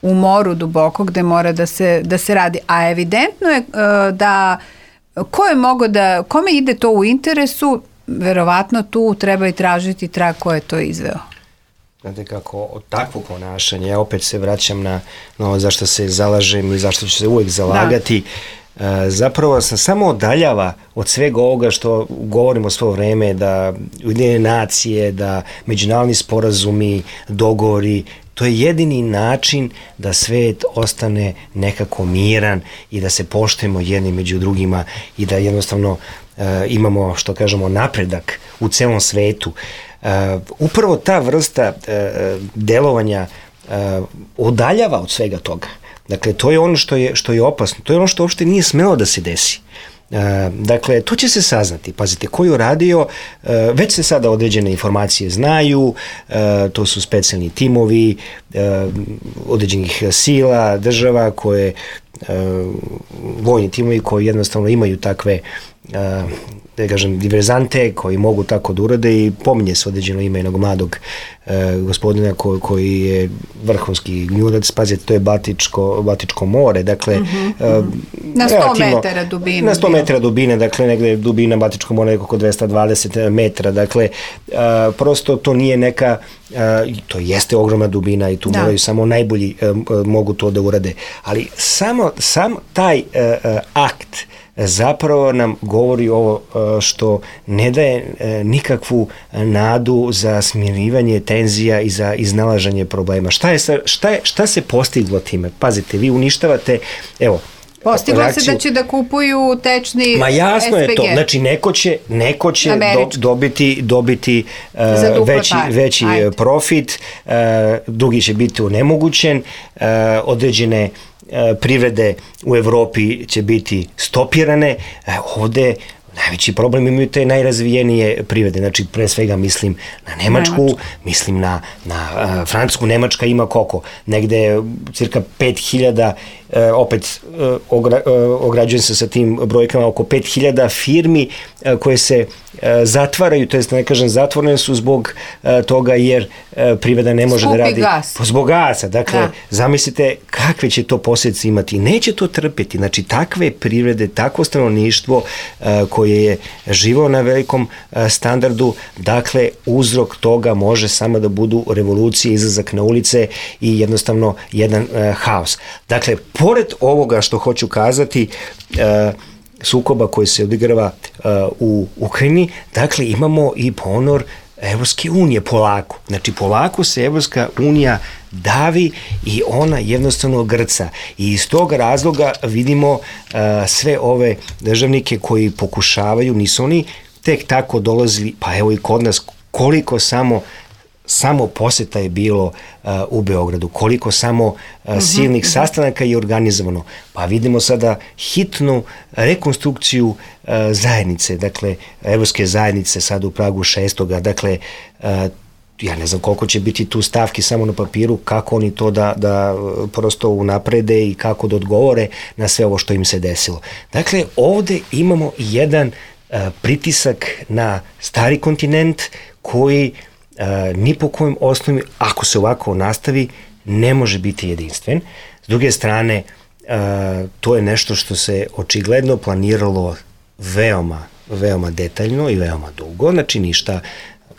u moru duboko gde mora da se radi, a evidentno je da kome ide to u interesu, verovatno tu treba i tražiti trag ko je to izveo. Znate kako, od takvog ponašanja, ja opet se vraćam na ono zašto se zalažem i zašto ću se uvijek zalagati, zapravo sam samo odaljava od svega ovoga što govorimo svo vreme, da Ujedinjene nacije, da međunarodni sporazumi, dogovori, to je jedini način da svet ostane nekako miran i da se poštujemo jedni među drugima i da jednostavno imamo, što kažemo, napredak u celom svetu. Upravo ta vrsta delovanja odaljava od svega toga. Dakle, to je ono što je opasno, to je ono što uopšte nije smelo da se desi. Dakle, to će se saznati. Pazite, ko je uradio, već se sada određene informacije znaju, to su specijalni timovi određenih sila, država koje, vojni timovi koji jednostavno imaju takve da kažem, diverzante koji mogu tako da urade i pominje se određeno ime jednog mladog gospodina koji je vrhunski gnjurac, pazite, to je Baltičko more, dakle na 100 metara dubine. Na 100 metara dubine, dakle negde dubina Baltičkog mora je oko 220 metara, dakle prosto to nije neka, to jeste ogromna dubina i tu moraju samo najbolji mogu to da urade, ali sam taj akt zapravo nam govori ovo što ne daje nikakvu nadu za smirivanje tenzija i za iznalaženje problema. Šta se postiglo time? Pazite, vi uništavate, evo, postiglo reakciju. Se da će da kupuju tečni ma jasno SPG. Je to, znači neko će dobiti veći profit, drugi će biti onemogućen, određene privrede u Evropi će biti stopirane, ovde najveći problem imaju te najrazvijenije privrede, znači pre svega mislim na Nemačku, mislim na Francusku. Nemačka ima koliko? Negde cirka 5000, opet ograđujem se sa tim brojkama, oko 5000 firmi koje se zatvaraju, to jest ne kažem zatvorene su zbog toga jer privreda ne može da radi zbog gasa. Dakle, zamislite kakve će to posljedice imati. Neće to trpeti. Znači, takve privrede, takvo stanovništvo koje je živo na velikom standardu, dakle, uzrok toga može samo da budu revolucije, izlazak na ulice i jednostavno jedan haos. Dakle, pored ovoga što hoću kazati, sukoba koji se odigrava u Ukrajini, dakle imamo i ponor Evropske unije polako. Znači polako se Evropska unija davi i ona jednostavno grca. I iz tog razloga vidimo sve ove državnike koji pokušavaju, nisu oni tek tako dolazili, pa evo i kod nas, koliko samo poseta je bilo u Beogradu, koliko samo silnih sastanaka je organizovano. Pa vidimo sada hitnu rekonstrukciju zajednice, dakle, evropske zajednice sad u Pragu 6. Dakle, ja ne znam koliko će biti tu stavki samo na papiru, kako oni to da prosto unaprede i kako da odgovore na sve ovo što im se desilo. Dakle, ovde imamo jedan pritisak na stari kontinent koji ni po kojem osnovi, ako se ovako nastavi, ne može biti jedinstven. S druge strane, to je nešto što se očigledno planiralo veoma detaljno i veoma dugo, znači ništa,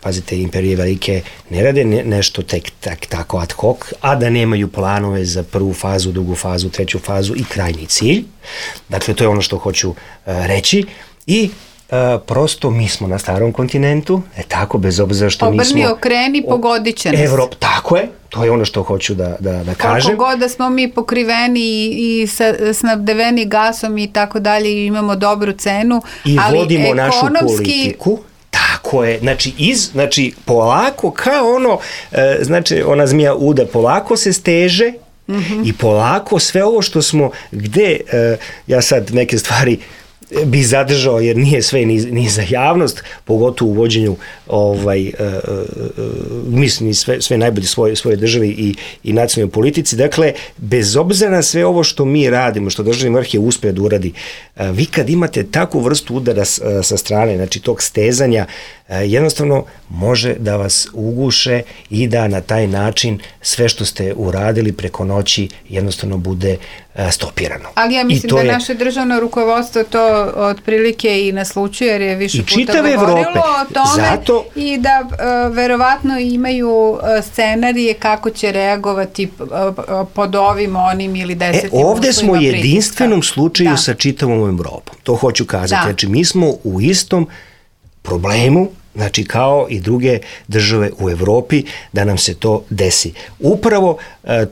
pazite, imperije velike ne rade nešto tek tako ad hoc, a da nemaju planove za prvu fazu, drugu fazu, treću fazu i krajnji cilj. Dakle, to je ono što hoću reći i prosto mi smo na starom kontinentu, tako, bez obzira što nismo... Obrni, okreni, pogodit će nas. Tako je, to je ono što hoću da kažem. Koliko god da smo mi pokriveni i snabdeveni gasom i tako dalje, imamo dobru cenu, i ali vodimo ekonomski... našu politiku. Tako je, znači polako kao ono, znači ona zmija uda polako se steže i polako sve ovo što smo, gde, ja sad neke stvari bi zadržao jer nije sve ni za javnost, pogotovo u vođenju mislim sve najbolje svoje državi i nacionalnoj politici. Dakle, bez obzira na sve ovo što mi radimo, što državni vrh je uspeo da uradi, vi kad imate takvu vrstu udara sa strane, znači tog stezanja, jednostavno može da vas uguše i da na taj način sve što ste uradili preko noći jednostavno bude stopirano. Ali ja mislim da naše državno rukovodstvo to otprilike i naslučuje, jer je više puta govorilo o tome i da verovatno imaju scenarije kako će reagovati pod ovim, onim ili desetim uslovima. Ovde smo u jedinstvenom slučaju sa čitavom Evropom. To hoću kazati. Znači, mi smo u istom problemu, znači kao i druge države u Evropi, da nam se to desi. Upravo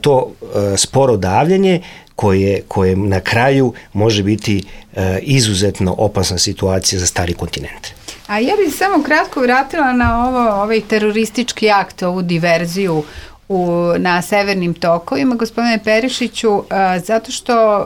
to sporo davljenje koje na kraju može biti izuzetno opasna situacija za stari kontinent. A ja bih samo kratko vratila na ovaj teroristički akt, ovu diverziju na severnim tokovima, gospodine Perišiću, zato što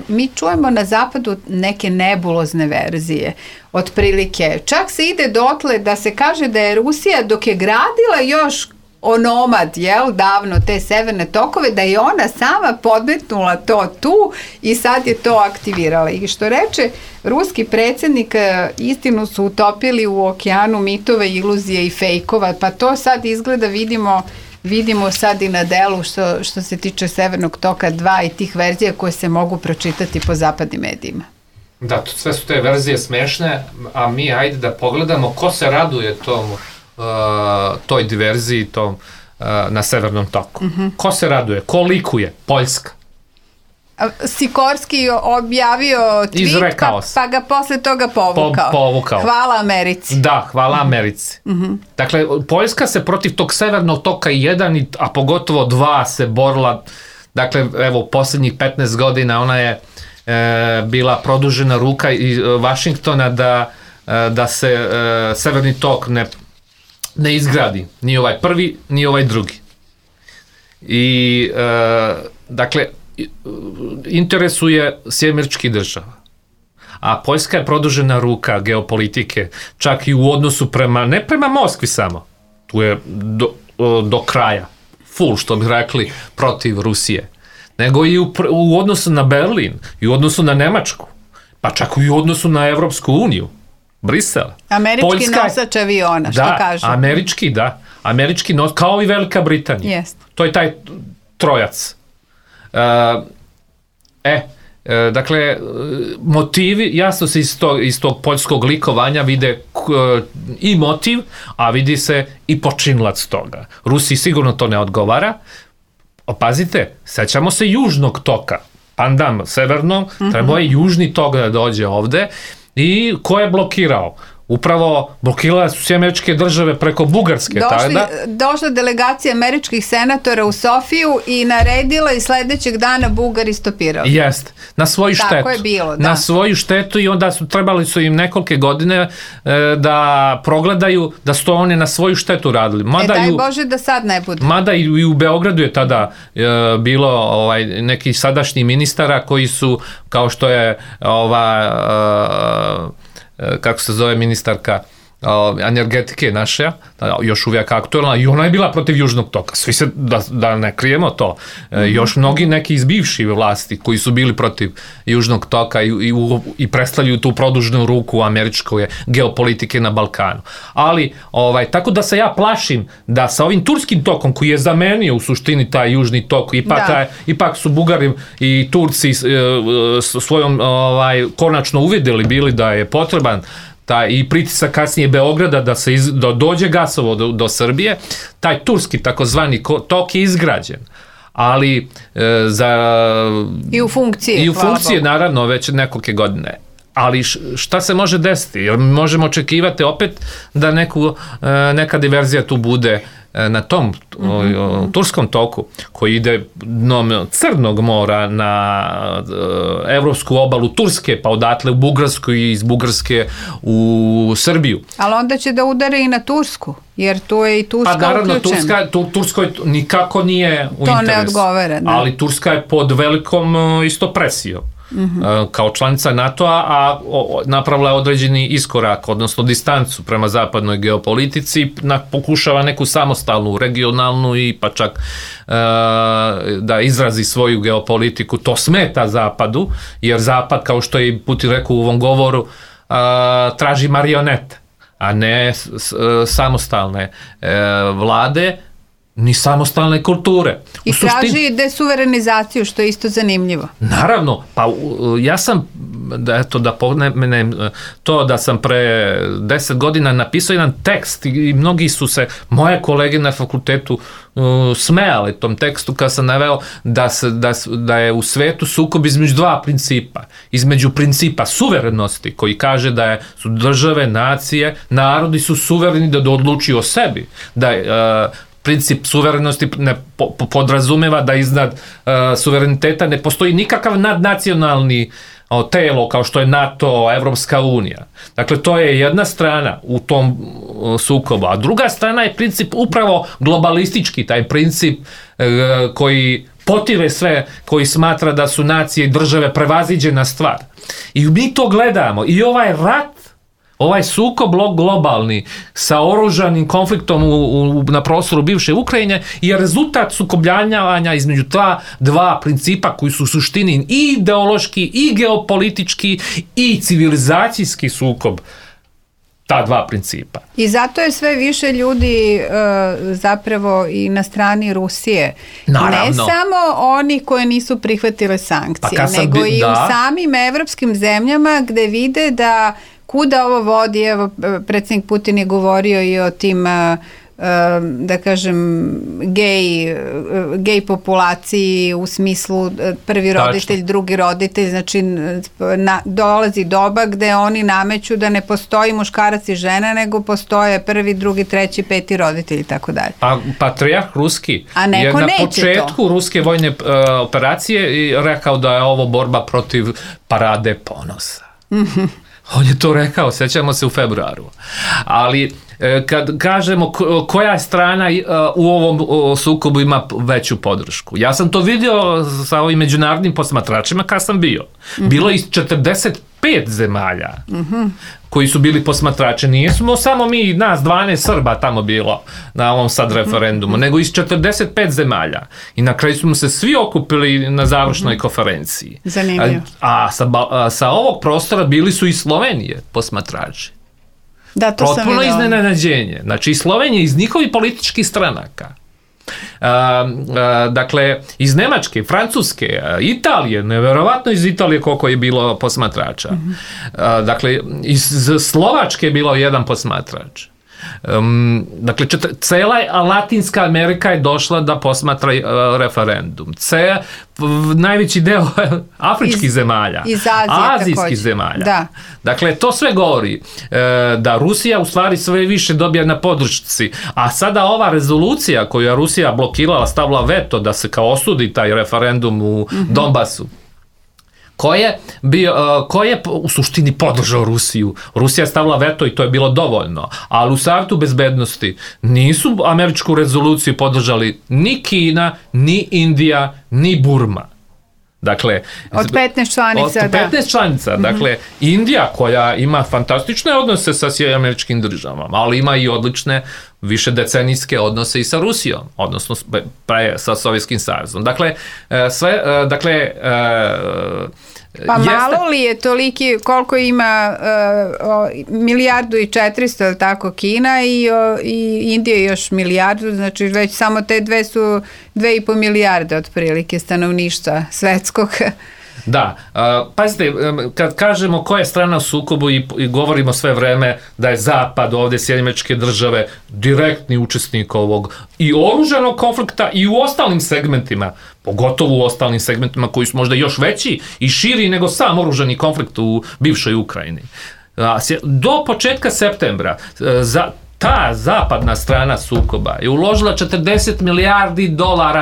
mi čujemo na zapadu neke nebulozne verzije, otprilike. Čak se ide dotle da se kaže da je Rusija, dok je gradila još onomad, davno te severne tokove, da je ona sama podmetnula to tu i sad je to aktivirala. I što reče ruski predsjednik, istinu su utopili u okeanu mitova, iluzije i fejkova, pa to sad izgleda vidimo sad i na delu što se tiče Severnog toka 2 i tih verzija koje se mogu pročitati po zapadnim medijima. Da, sve su te verzije smešne, a mi ajde da pogledamo ko se raduje toj diverziji na Severnom toku. Ko se raduje? Ko likuje? Poljska. Sikorski objavio tweet, pa ga posle toga povukao. Hvala Americi. Da, hvala Americi. Dakle, Poljska se protiv tog Severnog toka 1, a pogotovo 2 se borila. Dakle, evo, posljednjih 15 godina ona je bila produžena ruka i Vašingtona da se Severni tok ne izgradi. Ni ovaj prvi, ni ovaj drugi. I, dakle, interesuje Sjedinjenih Država. A Poljska je produžena ruka geopolitike, čak i u odnosu ne prema Moskvi samo, tu je do kraja, full, što bi rekli, protiv Rusije, nego i u odnosu na Berlin, i u odnosu na Nemačku, pa čak i u odnosu na Evropsku uniju, Brisel. Američki nosač aviona, što kažu. Američki nosač, kao i Velika Britanija. To je taj trojac. Dakle, motivi, jasno se iz tog poljskog likovanja vide i motiv, a vidi se i počinilac toga. Rusiji sigurno to ne odgovara. Pazite, sećamo se južnog toka, pandam severnom, trebao je južni tok da dođe ovde i ko je blokirao? upravo blokirale su sve američke države preko Bugarske. Došla delegacija američkih senatora u Sofiju i naredila i sledećeg dana Bugari stopirali. Jeste, na svoju štetu. Tako je bilo, da. Na svoju štetu i onda trebali su im nekolike godine da progledaju da su to oni na svoju štetu radili. Daj Bože da sad ne bude. Mada i u Beogradu je tada bilo neki sadašnji ministara koji su, kao što je kako se zove ministarka energetike naše, još uvijek aktualna, i ona je bila protiv Južnog toka. Svi se, da ne krijemo to, još mnogi neki iz bivših vlasti koji su bili protiv Južnog toka i predstavljaju tu produžnu ruku američke geopolitike na Balkanu. Ali, tako da se ja plašim da sa ovim turskim tokom koji je zamenio u suštini taj Južni tok, ipak su Bugari i Turci svojom konačno uvidjeli bili da je potreban i pritisak kasnije Beograda da dođe gasovod do Srbije, taj turski takozvani tok je izgrađen. Ali i u funkciji naravno već nekolike godine. Ali šta se može desiti? Jer možemo očekivati opet da neka diverzija tu bude na tom turskom toku koji ide dnom Crnog mora na evropsku obalu Turske, pa odatle u Bugarsku i iz Bugarske u Srbiju. Ali onda će da udare i na Tursku, jer tu je i Turska uključena. Pa naravno, Turskoj nikako nije u interesu. To ne odgovara. Ali Turska je pod velikom isto presijom. Kao članica NATO-a, a napravila je određeni iskorak, odnosno distancu prema zapadnoj geopolitici, pokušava neku samostalnu, regionalnu i pa čak da izrazi svoju geopolitiku. To smeta Zapadu, jer Zapad, kao što je Putin rekao u ovom govoru, traži marionete, a ne samostalne vlade, ni samostalne kulture. I traži desuverenizaciju, što je isto zanimljivo. Naravno, pa ja sam, da pomenem to da sam pre 10 godina napisao jedan tekst i mnogi su se, moje kolege na fakultetu, smejali tom tekstu kad sam naveo da je u svetu sukob između dva principa. Između principa suverenosti, koji kaže da su države, nacije, narodi su suvereni da odlučuju o sebi, da princip suverenosti ne podrazumeva da iznad suvereniteta ne postoji nikakav nadnacionalni telo kao što je NATO, Evropska unija. Dakle, to je jedna strana u tom sukobu, a druga strana je princip upravo globalistički, taj princip koji potire sve, koji smatra da su nacije i države prevaziđena stvar. I mi to gledamo. I ovaj rat, ovaj sukob globalni sa oružanim konfliktom na prostoru bivše Ukrajine je rezultat sukobljavanja između ta dva principa koji su u suštini i ideološki, i geopolitički, i civilizacijski sukob. Ta dva principa. I zato je sve više ljudi zapravo i na strani Rusije. Naravno. Ne samo oni koji nisu prihvatile sankcije, nego i u samim evropskim zemljama gde vide da kuda ovo vodi. Evo, predsjednik Putin je govorio i o tim, da kažem, gej populaciji u smislu prvi roditelj, drugi roditelj, znači dolazi doba gde oni nameću da ne postoji muškarac i žena, nego postoje prvi, drugi, treći, peti roditelj i tako dalje. A patrijarh ruski je na početku ruske vojne operacije rekao da je ovo borba protiv parade ponosa. On je to rekao, sjećamo se u februaru. Ali kad kažemo koja strana u ovom sukobu ima veću podršku. Ja sam to vidio sa ovim međunarodnim posmatračima kad sam bio. Bilo je 45 zemalja koji su bili posmatrači. Nismo samo mi, nas 12 Srba tamo bilo na ovom sad referendumu, nego iz 45 zemalja. I na kraju smo se svi okupili na završnoj konferenciji. Zanimljivo. A sa ovog prostora bili su i Slovenije posmatrači. Da, to sam potpuno iznenađenje. Znači i Slovenije iz njihovih političkih stranaka. Dakle, iz Nemačke, Francuske, Italije, neverovatno iz Italije koliko je bilo posmatrača. Dakle, iz Slovačke je bilo jedan posmatrač. Dakle, cela Latinska Amerika je došla da posmatra referendum. Najveći deo afričkih zemalja, iz Azije, azijskih zemalja. Da. Dakle, to sve govori da Rusija u stvari sve više dobija na podršci. A sada ova rezolucija koju je Rusija blokirala, stavila veto da se kao osudi taj referendum u Donbasu, ko je u suštini podržao Rusiju. Rusija je stavila veto i to je bilo dovoljno. Ali u Savetu bezbednosti nisu američku rezoluciju podržali ni Kina, ni Indija, ni Burma. Dakle, od 15 članica, od 15 članica. Dakle, Indija koja ima fantastične odnose sa Američkim državama, ali ima i odlične višedecenijske odnose i sa Rusijom, odnosno sa Sovjetskim savezom. Dakle, pa malo li je toliki, koliko ima 1,4 milijardu, tako, Kina i Indija još milijardu, znači već samo te dve su 2,5 milijarde otprilike stanovništva svetskog. Da, pazite, kad kažemo koja je strana u sukobu i govorimo sve vreme da je Zapad, ovdje Sjedinjene Američke Države, direktni učesnik ovog i oružanog konflikta i u ostalim segmentima, pogotovo u ostalim segmentima koji su možda još veći i širi nego sam oružani konflikt u bivšoj Ukrajini. Do početka septembra ta zapadna strana sukoba je uložila $40 milijardi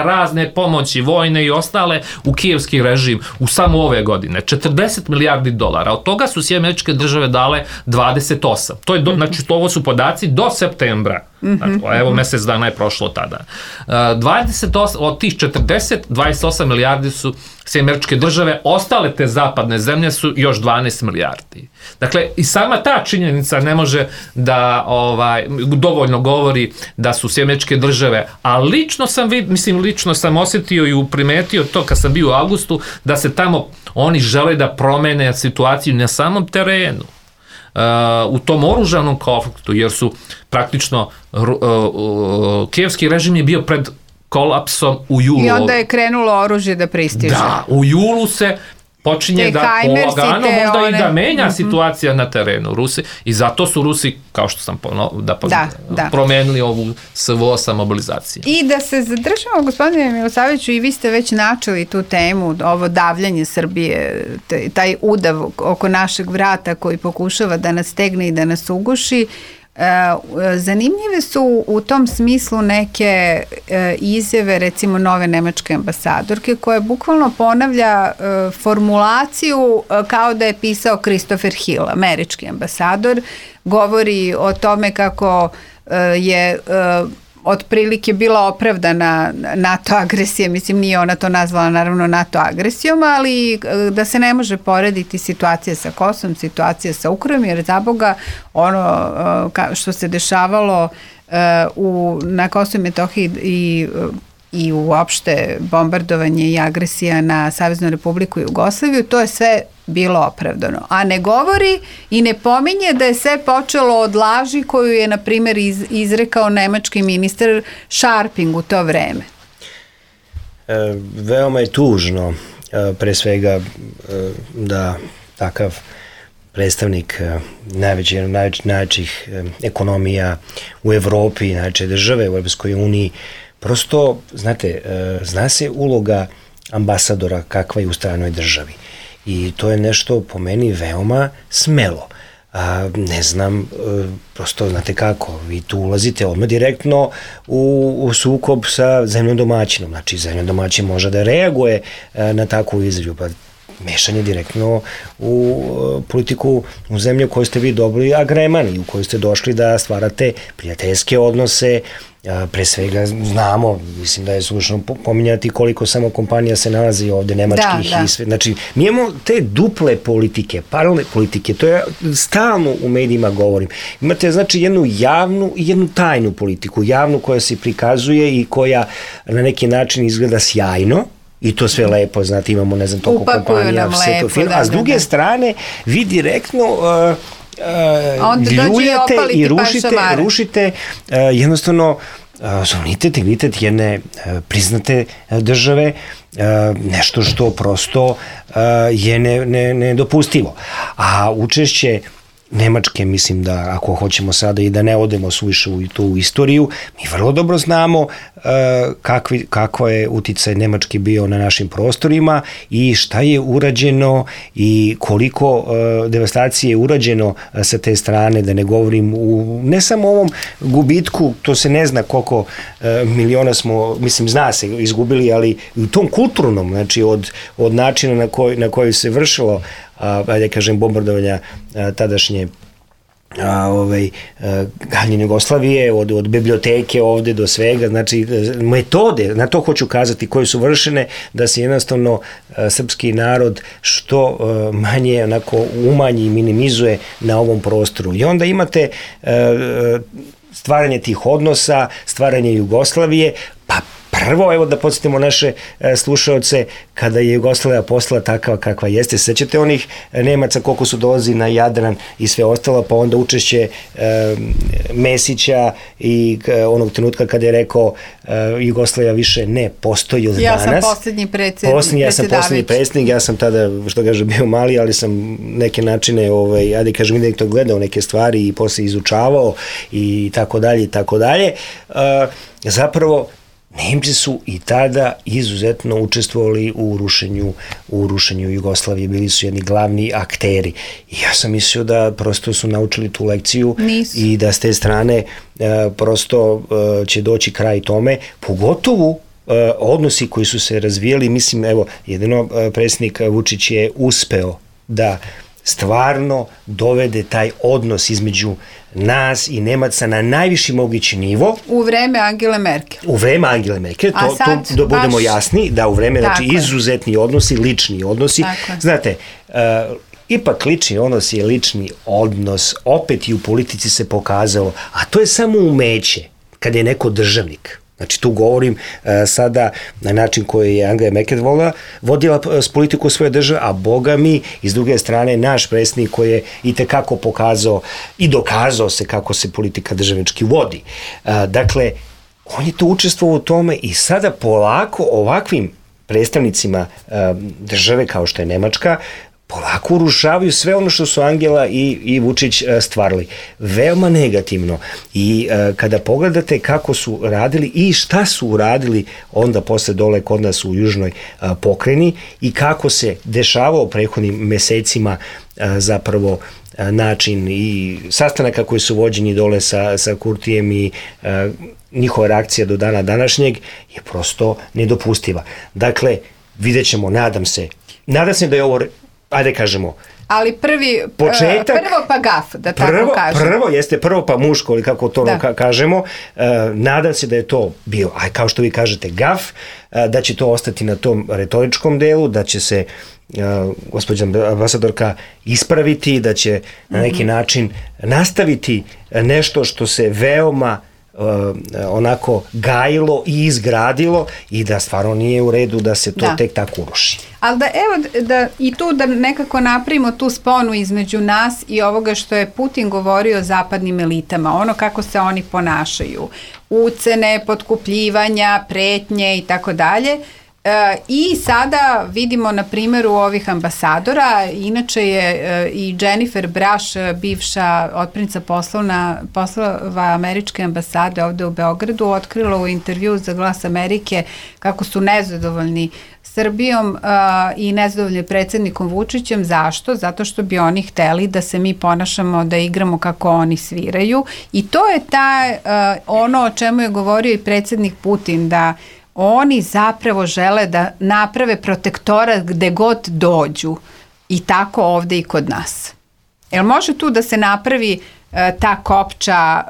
razne pomoći, vojne i ostale, u kijevski režim u samo ove godine. $40 milijardi. Od toga su Sjedinjene Američke Države dale 28. To je znači, ovo su podaci do septembra. Dakle, evo, mjesec dana je prošlo tada. 28, od tih 40, 28 milijardi su Sjedinjene Američke Države, ostale te zapadne zemlje su još 12 milijardi. Dakle, i sama ta činjenica ne može da dovoljno govori da su Sjedinjene Američke Države, a lično sam osjetio i primetio to kad sam bio u avgustu, da se tamo oni žele da promene situaciju na samom terenu. U tom oružanom konfliktu, jer su praktično kijevski režim je bio pred kolapsom u julu. I onda je krenulo oružje da pristiže. Da, u julu se počinje da polagano možda i da menja situacija na terenu Rusi i zato su Rusi, kao što sam promenili ovu SVO sa mobilizacije. I da se zadržamo, gospodine Milosavljeviću, i vi ste već načeli tu temu, ovo davljanje Srbije, taj udav oko našeg vrata koji pokušava da nas stegne i da nas uguši. Zanimljive su u tom smislu neke izjave, recimo nove nemačke ambasadorke, koja bukvalno ponavlja formulaciju kao da je pisao Christopher Hill, američki ambasador. Govori o tome kako je otprilike bila opravdana NATO agresija, mislim nije ona to nazvala naravno NATO agresijom, ali da se ne može porediti situacija sa Kosovom, situacija sa Ukrajinom, jer za Boga ono što se dešavalo na Kosovu i Metohiji i uopšte bombardovanje i agresija na Saveznu Republiku Jugoslaviju, to je sve bilo opravdano. A ne govori i ne pominje da je sve počelo od laži koju je, na primjer, izrekao nemački ministar Scharping u to vreme. Veoma je tužno, pre svega, da takav predstavnik najvećih ekonomija u Evropi, najveće države u Europskoj uniji, prosto, znate, zna se uloga ambasadora kakva je u stranoj državi. I to je nešto po meni veoma smelo. Ne znam, prosto znate kako, vi tu ulazite odmah direktno u sukob sa zemljom domaćinom. Znači, zemljom domaćin može da reaguje na takvu izjavu, pa mešanje direktno u politiku u zemlju koju ste vi dobili agremani, u kojoj ste došli da stvarate prijateljske odnose. Pre svega znamo, mislim da je slušno pominjati koliko samo kompanija se nalazi ovde, nemačkih i sve. Znači, mi imamo te duple politike, paralelne politike, to je stalno u medijima govorim. Imate, znači, jednu javnu i jednu tajnu politiku. Javnu koja se prikazuje i koja na neki način izgleda sjajno, i to sve lepo, znate, imamo, ne znam, toliko kompanija, sve to fino, a s druge strane, vi direktno ljuljate i rušite jednostavno suverenitet, integritet jedne priznate države, nešto što prosto je nedopustivo. A učešće Nemačke, mislim da ako hoćemo sada i da ne odemo suviše u tu istoriju, mi vrlo dobro znamo kako je uticaj Nemačke bio na našim prostorima i šta je urađeno i koliko devastacije je urađeno sa te strane, da ne govorim ne samo ovom gubitku, to se ne zna koliko miliona smo, mislim zna se, izgubili, ali u tom kulturnom, znači od načina na koji se vršilo ajde kažem bombardovanja tadašnje galjenje Jugoslavije, od biblioteke ovde do svega, znači metode, na to hoću kazati, koje su vršene da se jednostavno srpski narod što manje onako umanji i minimizuje na ovom prostoru. I onda imate stvaranje tih odnosa, stvaranje Jugoslavije, pa prvo, evo da podsjetimo naše slušaoce, kada je Jugoslavija postala takva kakva jeste, sećate onih Nemaca koliko su dolazi na Jadran i sve ostalo, pa onda učešće Mesića i onog trenutka kada je rekao Jugoslavija više ne postoji od danas. Ja sam poslednji predsjednik. Ja sam poslednji predsjednik, ja sam tada, što kaže, bio mali, ali sam neke načine, ajde kažem, indirektno gledao neke stvari i posle izučavao i tako dalje i tako dalje. Zapravo, Nemci su i tada izuzetno učestvovali u rušenju Jugoslavije, bili su jedni glavni akteri. I ja sam mislio da prosto su naučili tu lekciju. Nisu. I da s te strane prosto će doći kraj tome, pogotovo odnosi koji su se razvijali, mislim, evo, jedino predsjednik Vučić je uspeo da stvarno dovede taj odnos između nas i Nemaca na najviši mogući nivo. U vreme Angele Merkel. U vreme Angele Merkel, to da budemo jasni, da u vreme, znači izuzetni odnosi, lični odnosi. Znate, ipak lični odnos je lični odnos, opet i u politici se pokazalo, a to je samo umeće kada je neko državnik. Znači tu govorim sada na način koji je Angela Merkel vodila s politiku svoje države, a boga mi, iz druge strane, naš predsjednik koji je i tekako pokazao i dokazao se kako se politika državnički vodi. Dakle, on je to učestvovao u tome i sada polako ovakvim predstavnicima države kao što je Nemačka polako urušavaju sve ono što su Angela i Vučić stvarali. Veoma negativno. I kada pogledate kako su radili i šta su uradili onda posle dole kod nas u južnoj pokrajini i kako se dešavao prethodnim mesecima zapravo način i sastanaka koji su vođeni dole sa Kurtijem i njihova reakcija do dana današnjeg je prosto nedopustiva. Dakle, vidjet ćemo, nadam se da je ovo, ajde kažemo, ali prvo pa gaf, da tako kažem. Prvo pa muško, ili kako to kažemo. Nadam se da je to bio, kao što vi kažete, gaf, da će to ostati na tom retoričkom delu, da će se gospođa ambasadorka ispraviti, da će na neki način nastaviti nešto što se veoma onako gajilo i izgradilo i da stvarno nije u redu da se to tek tako uruši. Ali da evo i tu da nekako napravimo tu sponu između nas i ovoga što je Putin govorio o zapadnim elitama, ono kako se oni ponašaju, ucene, potkupljivanja, pretnje i tako dalje. I sada vidimo na primjeru ovih ambasadora, inače je i Jennifer Braš, bivša otpremnica poslova američke ambasade ovde u Beogradu, otkrila u intervju za Glas Amerike kako su nezadovoljni Srbijom i nezadovoljni predsjednikom Vučićem. Zašto? Zato što bi oni hteli da se mi ponašamo, da igramo kako oni sviraju. I to je ono o čemu je govorio i predsjednik Putin, da oni zapravo žele da naprave protektorat gde god dođu i tako ovde i kod nas. Jel može tu da se napravi ta kopča,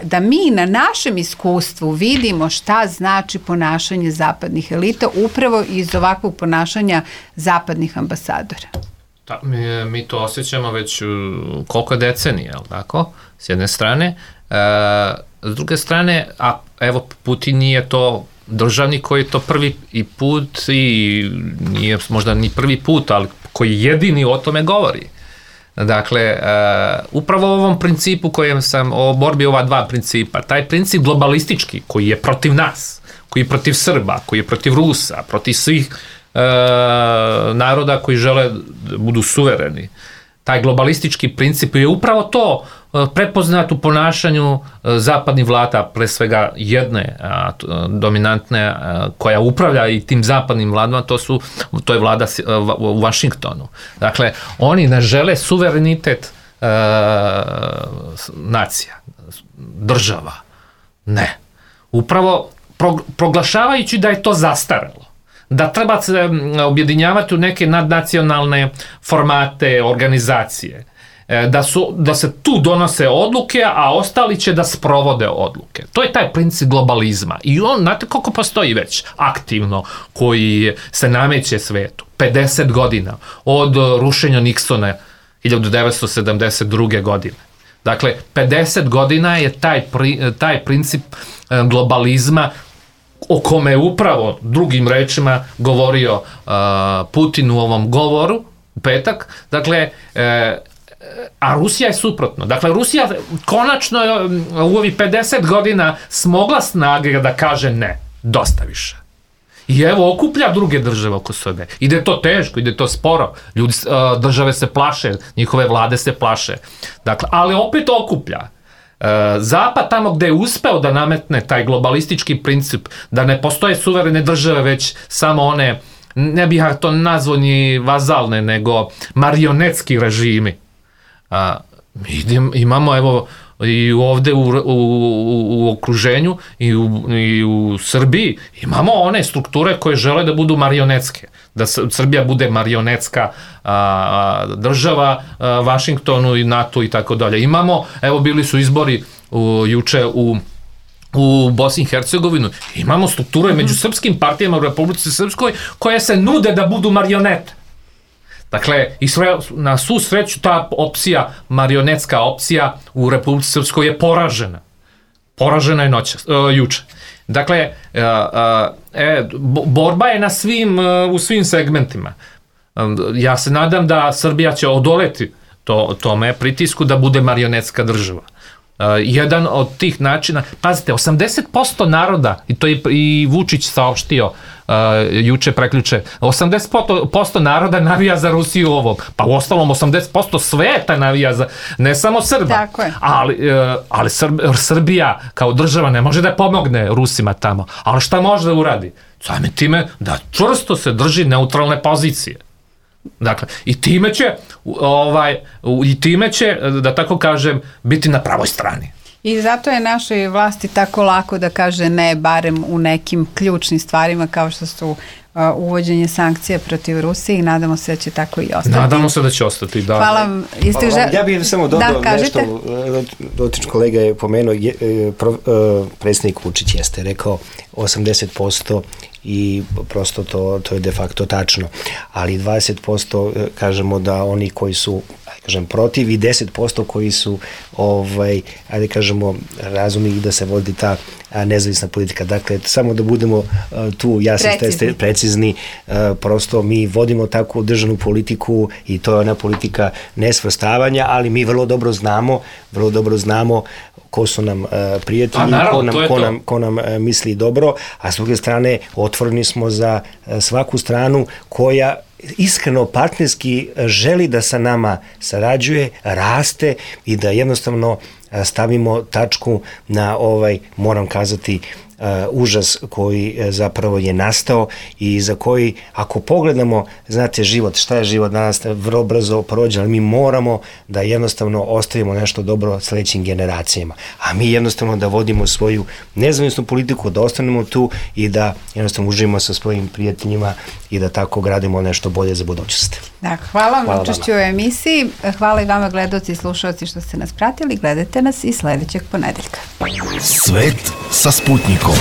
da mi na našem iskustvu vidimo šta znači ponašanje zapadnih elita upravo iz ovakvog ponašanja zapadnih ambasadora? Mi to osjećamo već koliko decenija, tako, s jedne strane. S druge strane, evo Putin nije to državnik koji je to prvi put i nije možda ni prvi put, ali koji jedini o tome govori. Dakle, upravo o ovom principu kojem sam, o borbi ova dva principa, taj princip globalistički koji je protiv nas, koji je protiv Srba, koji je protiv Rusa, protiv svih naroda koji žele da budu suvereni. Taj globalistički princip je upravo to prepoznat u ponašanju zapadnih vlada, pre svega jedne dominantne koja upravlja i tim zapadnim vladama, to je vlada u Vašingtonu. Dakle, oni ne žele suverenitet nacija, država. Ne. Upravo proglašavajući da je to zastarelo, da treba se objedinjavati u neke nadnacionalne formate, organizacije, da se tu donose odluke, a ostali će da sprovode odluke. To je taj princip globalizma. I on, znate koliko postoji već aktivno, koji se nameće svetu. 50 godina od rušenja Nixona 1972. godine. Dakle, 50 godina je taj princip globalizma o kome je upravo drugim rečima govorio Putin u ovom govoru u petak. Dakle, a Rusija je suprotno. Dakle, Rusija konačno u ovih 50 godina smogla snage da kaže ne, dosta više. I evo, okuplja druge države oko sebe. Ide to teško, ide to sporo. Države se plaše, njihove vlade se plaše. Dakle, ali opet okuplja. Zapad tamo gde je uspeo da nametne taj globalistički princip, da ne postoje suverene države, već samo one, ne bih to nazvao ni vazalne, nego marionetski režimi. Imamo, evo, i ovde u okruženju i u Srbiji imamo one strukture koje žele da budu marionetske, da Srbija bude marionetska država Vašingtonu i NATO i tako dalje. Imamo, evo, bili su izbori juče u Bosni i Hercegovini, imamo strukture među srpskim partijama u Republici Srpskoj koje se nude da budu marionete. Dakle, na svu sreću ta opcija, marionetska opcija u Republici Srpskoj je poražena. Poražena je juče. Dakle, borba je u svim segmentima. Ja se nadam da Srbija će odoleti tome pritisku da bude marionetska država. Jedan od tih načina, pazite, 80% naroda, i to je i Vučić saopštio juče, preključe, 80% naroda navija za Rusiju ovom, pa u ostalom 80% sveta navija za, ne samo Srba, ali Srbija kao država ne može da pomogne Rusima tamo, ali šta može da uradi? Samim time da čvrsto se drži neutralne pozicije. Dakle, i time će, da tako kažem, biti na pravoj strani. I zato je našoj vlasti tako lako da kaže ne, barem u nekim ključnim stvarima kao što su uvođenje sankcija protiv Rusije i nadamo se da će tako i ostati. Nadamo se da će ostati, da. Hvala vam. Ja bih samo dodao nešto, dotični kolega je pomenuo, predsjednik Vučić jeste rekao 80% i prosto to je de facto tačno, ali 20% kažemo da oni koji su protiv i 10% koji su ajde kažemo razumni i da se vodi ta nezavisna politika. Dakle, samo da budemo tu jasni, precizni, prosto mi vodimo takvu državnu politiku i to je ona politika nesvrstavanja, ali mi vrlo dobro znamo ko su nam prijatelji, ko nam misli dobro, a s druge strane otvoreni smo za svaku stranu koja iskreno partnerski želi da sa nama sarađuje, raste i da jednostavno stavimo tačku na moram kazati, užas koji zapravo je nastao i za koji, ako pogledamo, znate, život, šta je život danas, vrlo brzo prođe, ali mi moramo da jednostavno ostavimo nešto dobro sledećim generacijama. A mi jednostavno da vodimo svoju nezavisnu politiku, da ostanemo tu i da jednostavno uživimo sa svojim prijateljima i da tako gradimo nešto bolje za budućnost. Da, hvala vam na učešću u emisiji. Hvala i vama, gledaoci i slušalci, što ste nas pratili. Gledajte nas i sledećeg ponedeljka. Svet sa Sputnikom.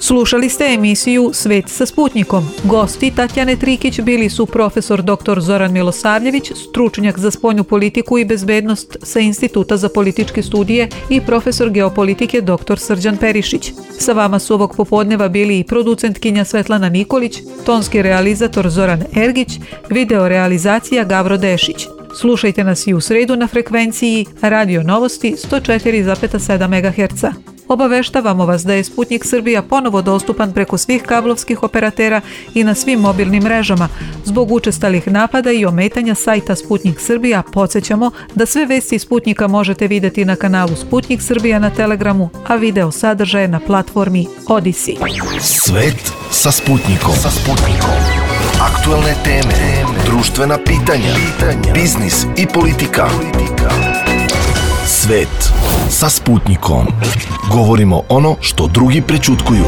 Slušali ste emisiju Svet sa Sputnikom. Gosti Tatjane Trikić bili su profesor dr. Zoran Milosavljević, stručnjak za spoljnu politiku i bezbednost sa Instituta za političke studije i profesor geopolitike dr. Srđan Perišić. Sa vama su ovog popodneva bili i producentkinja Svetlana Nikolić, tonski realizator Zoran Ergić, video realizacija Gavro Dešić. Slušajte nas i u sredu na frekvenciji Radio Novosti 104,7 MHz. Obaveštavamo vas da je Sputnik Srbija ponovo dostupan preko svih kablovskih operatera i na svim mobilnim mrežama. Zbog učestalih napada i ometanja sajta Sputnik Srbija, podsjećamo da sve vesti Sputnika možete vidjeti na kanalu Sputnik Srbija na Telegramu, a video sadržaje na platformi Odisi. Svet sa Sputnikom. Aktualne teme, društvena pitanja, biznis i politika. Svet sa Sputnikom. Govorimo ono što drugi prećutkuju.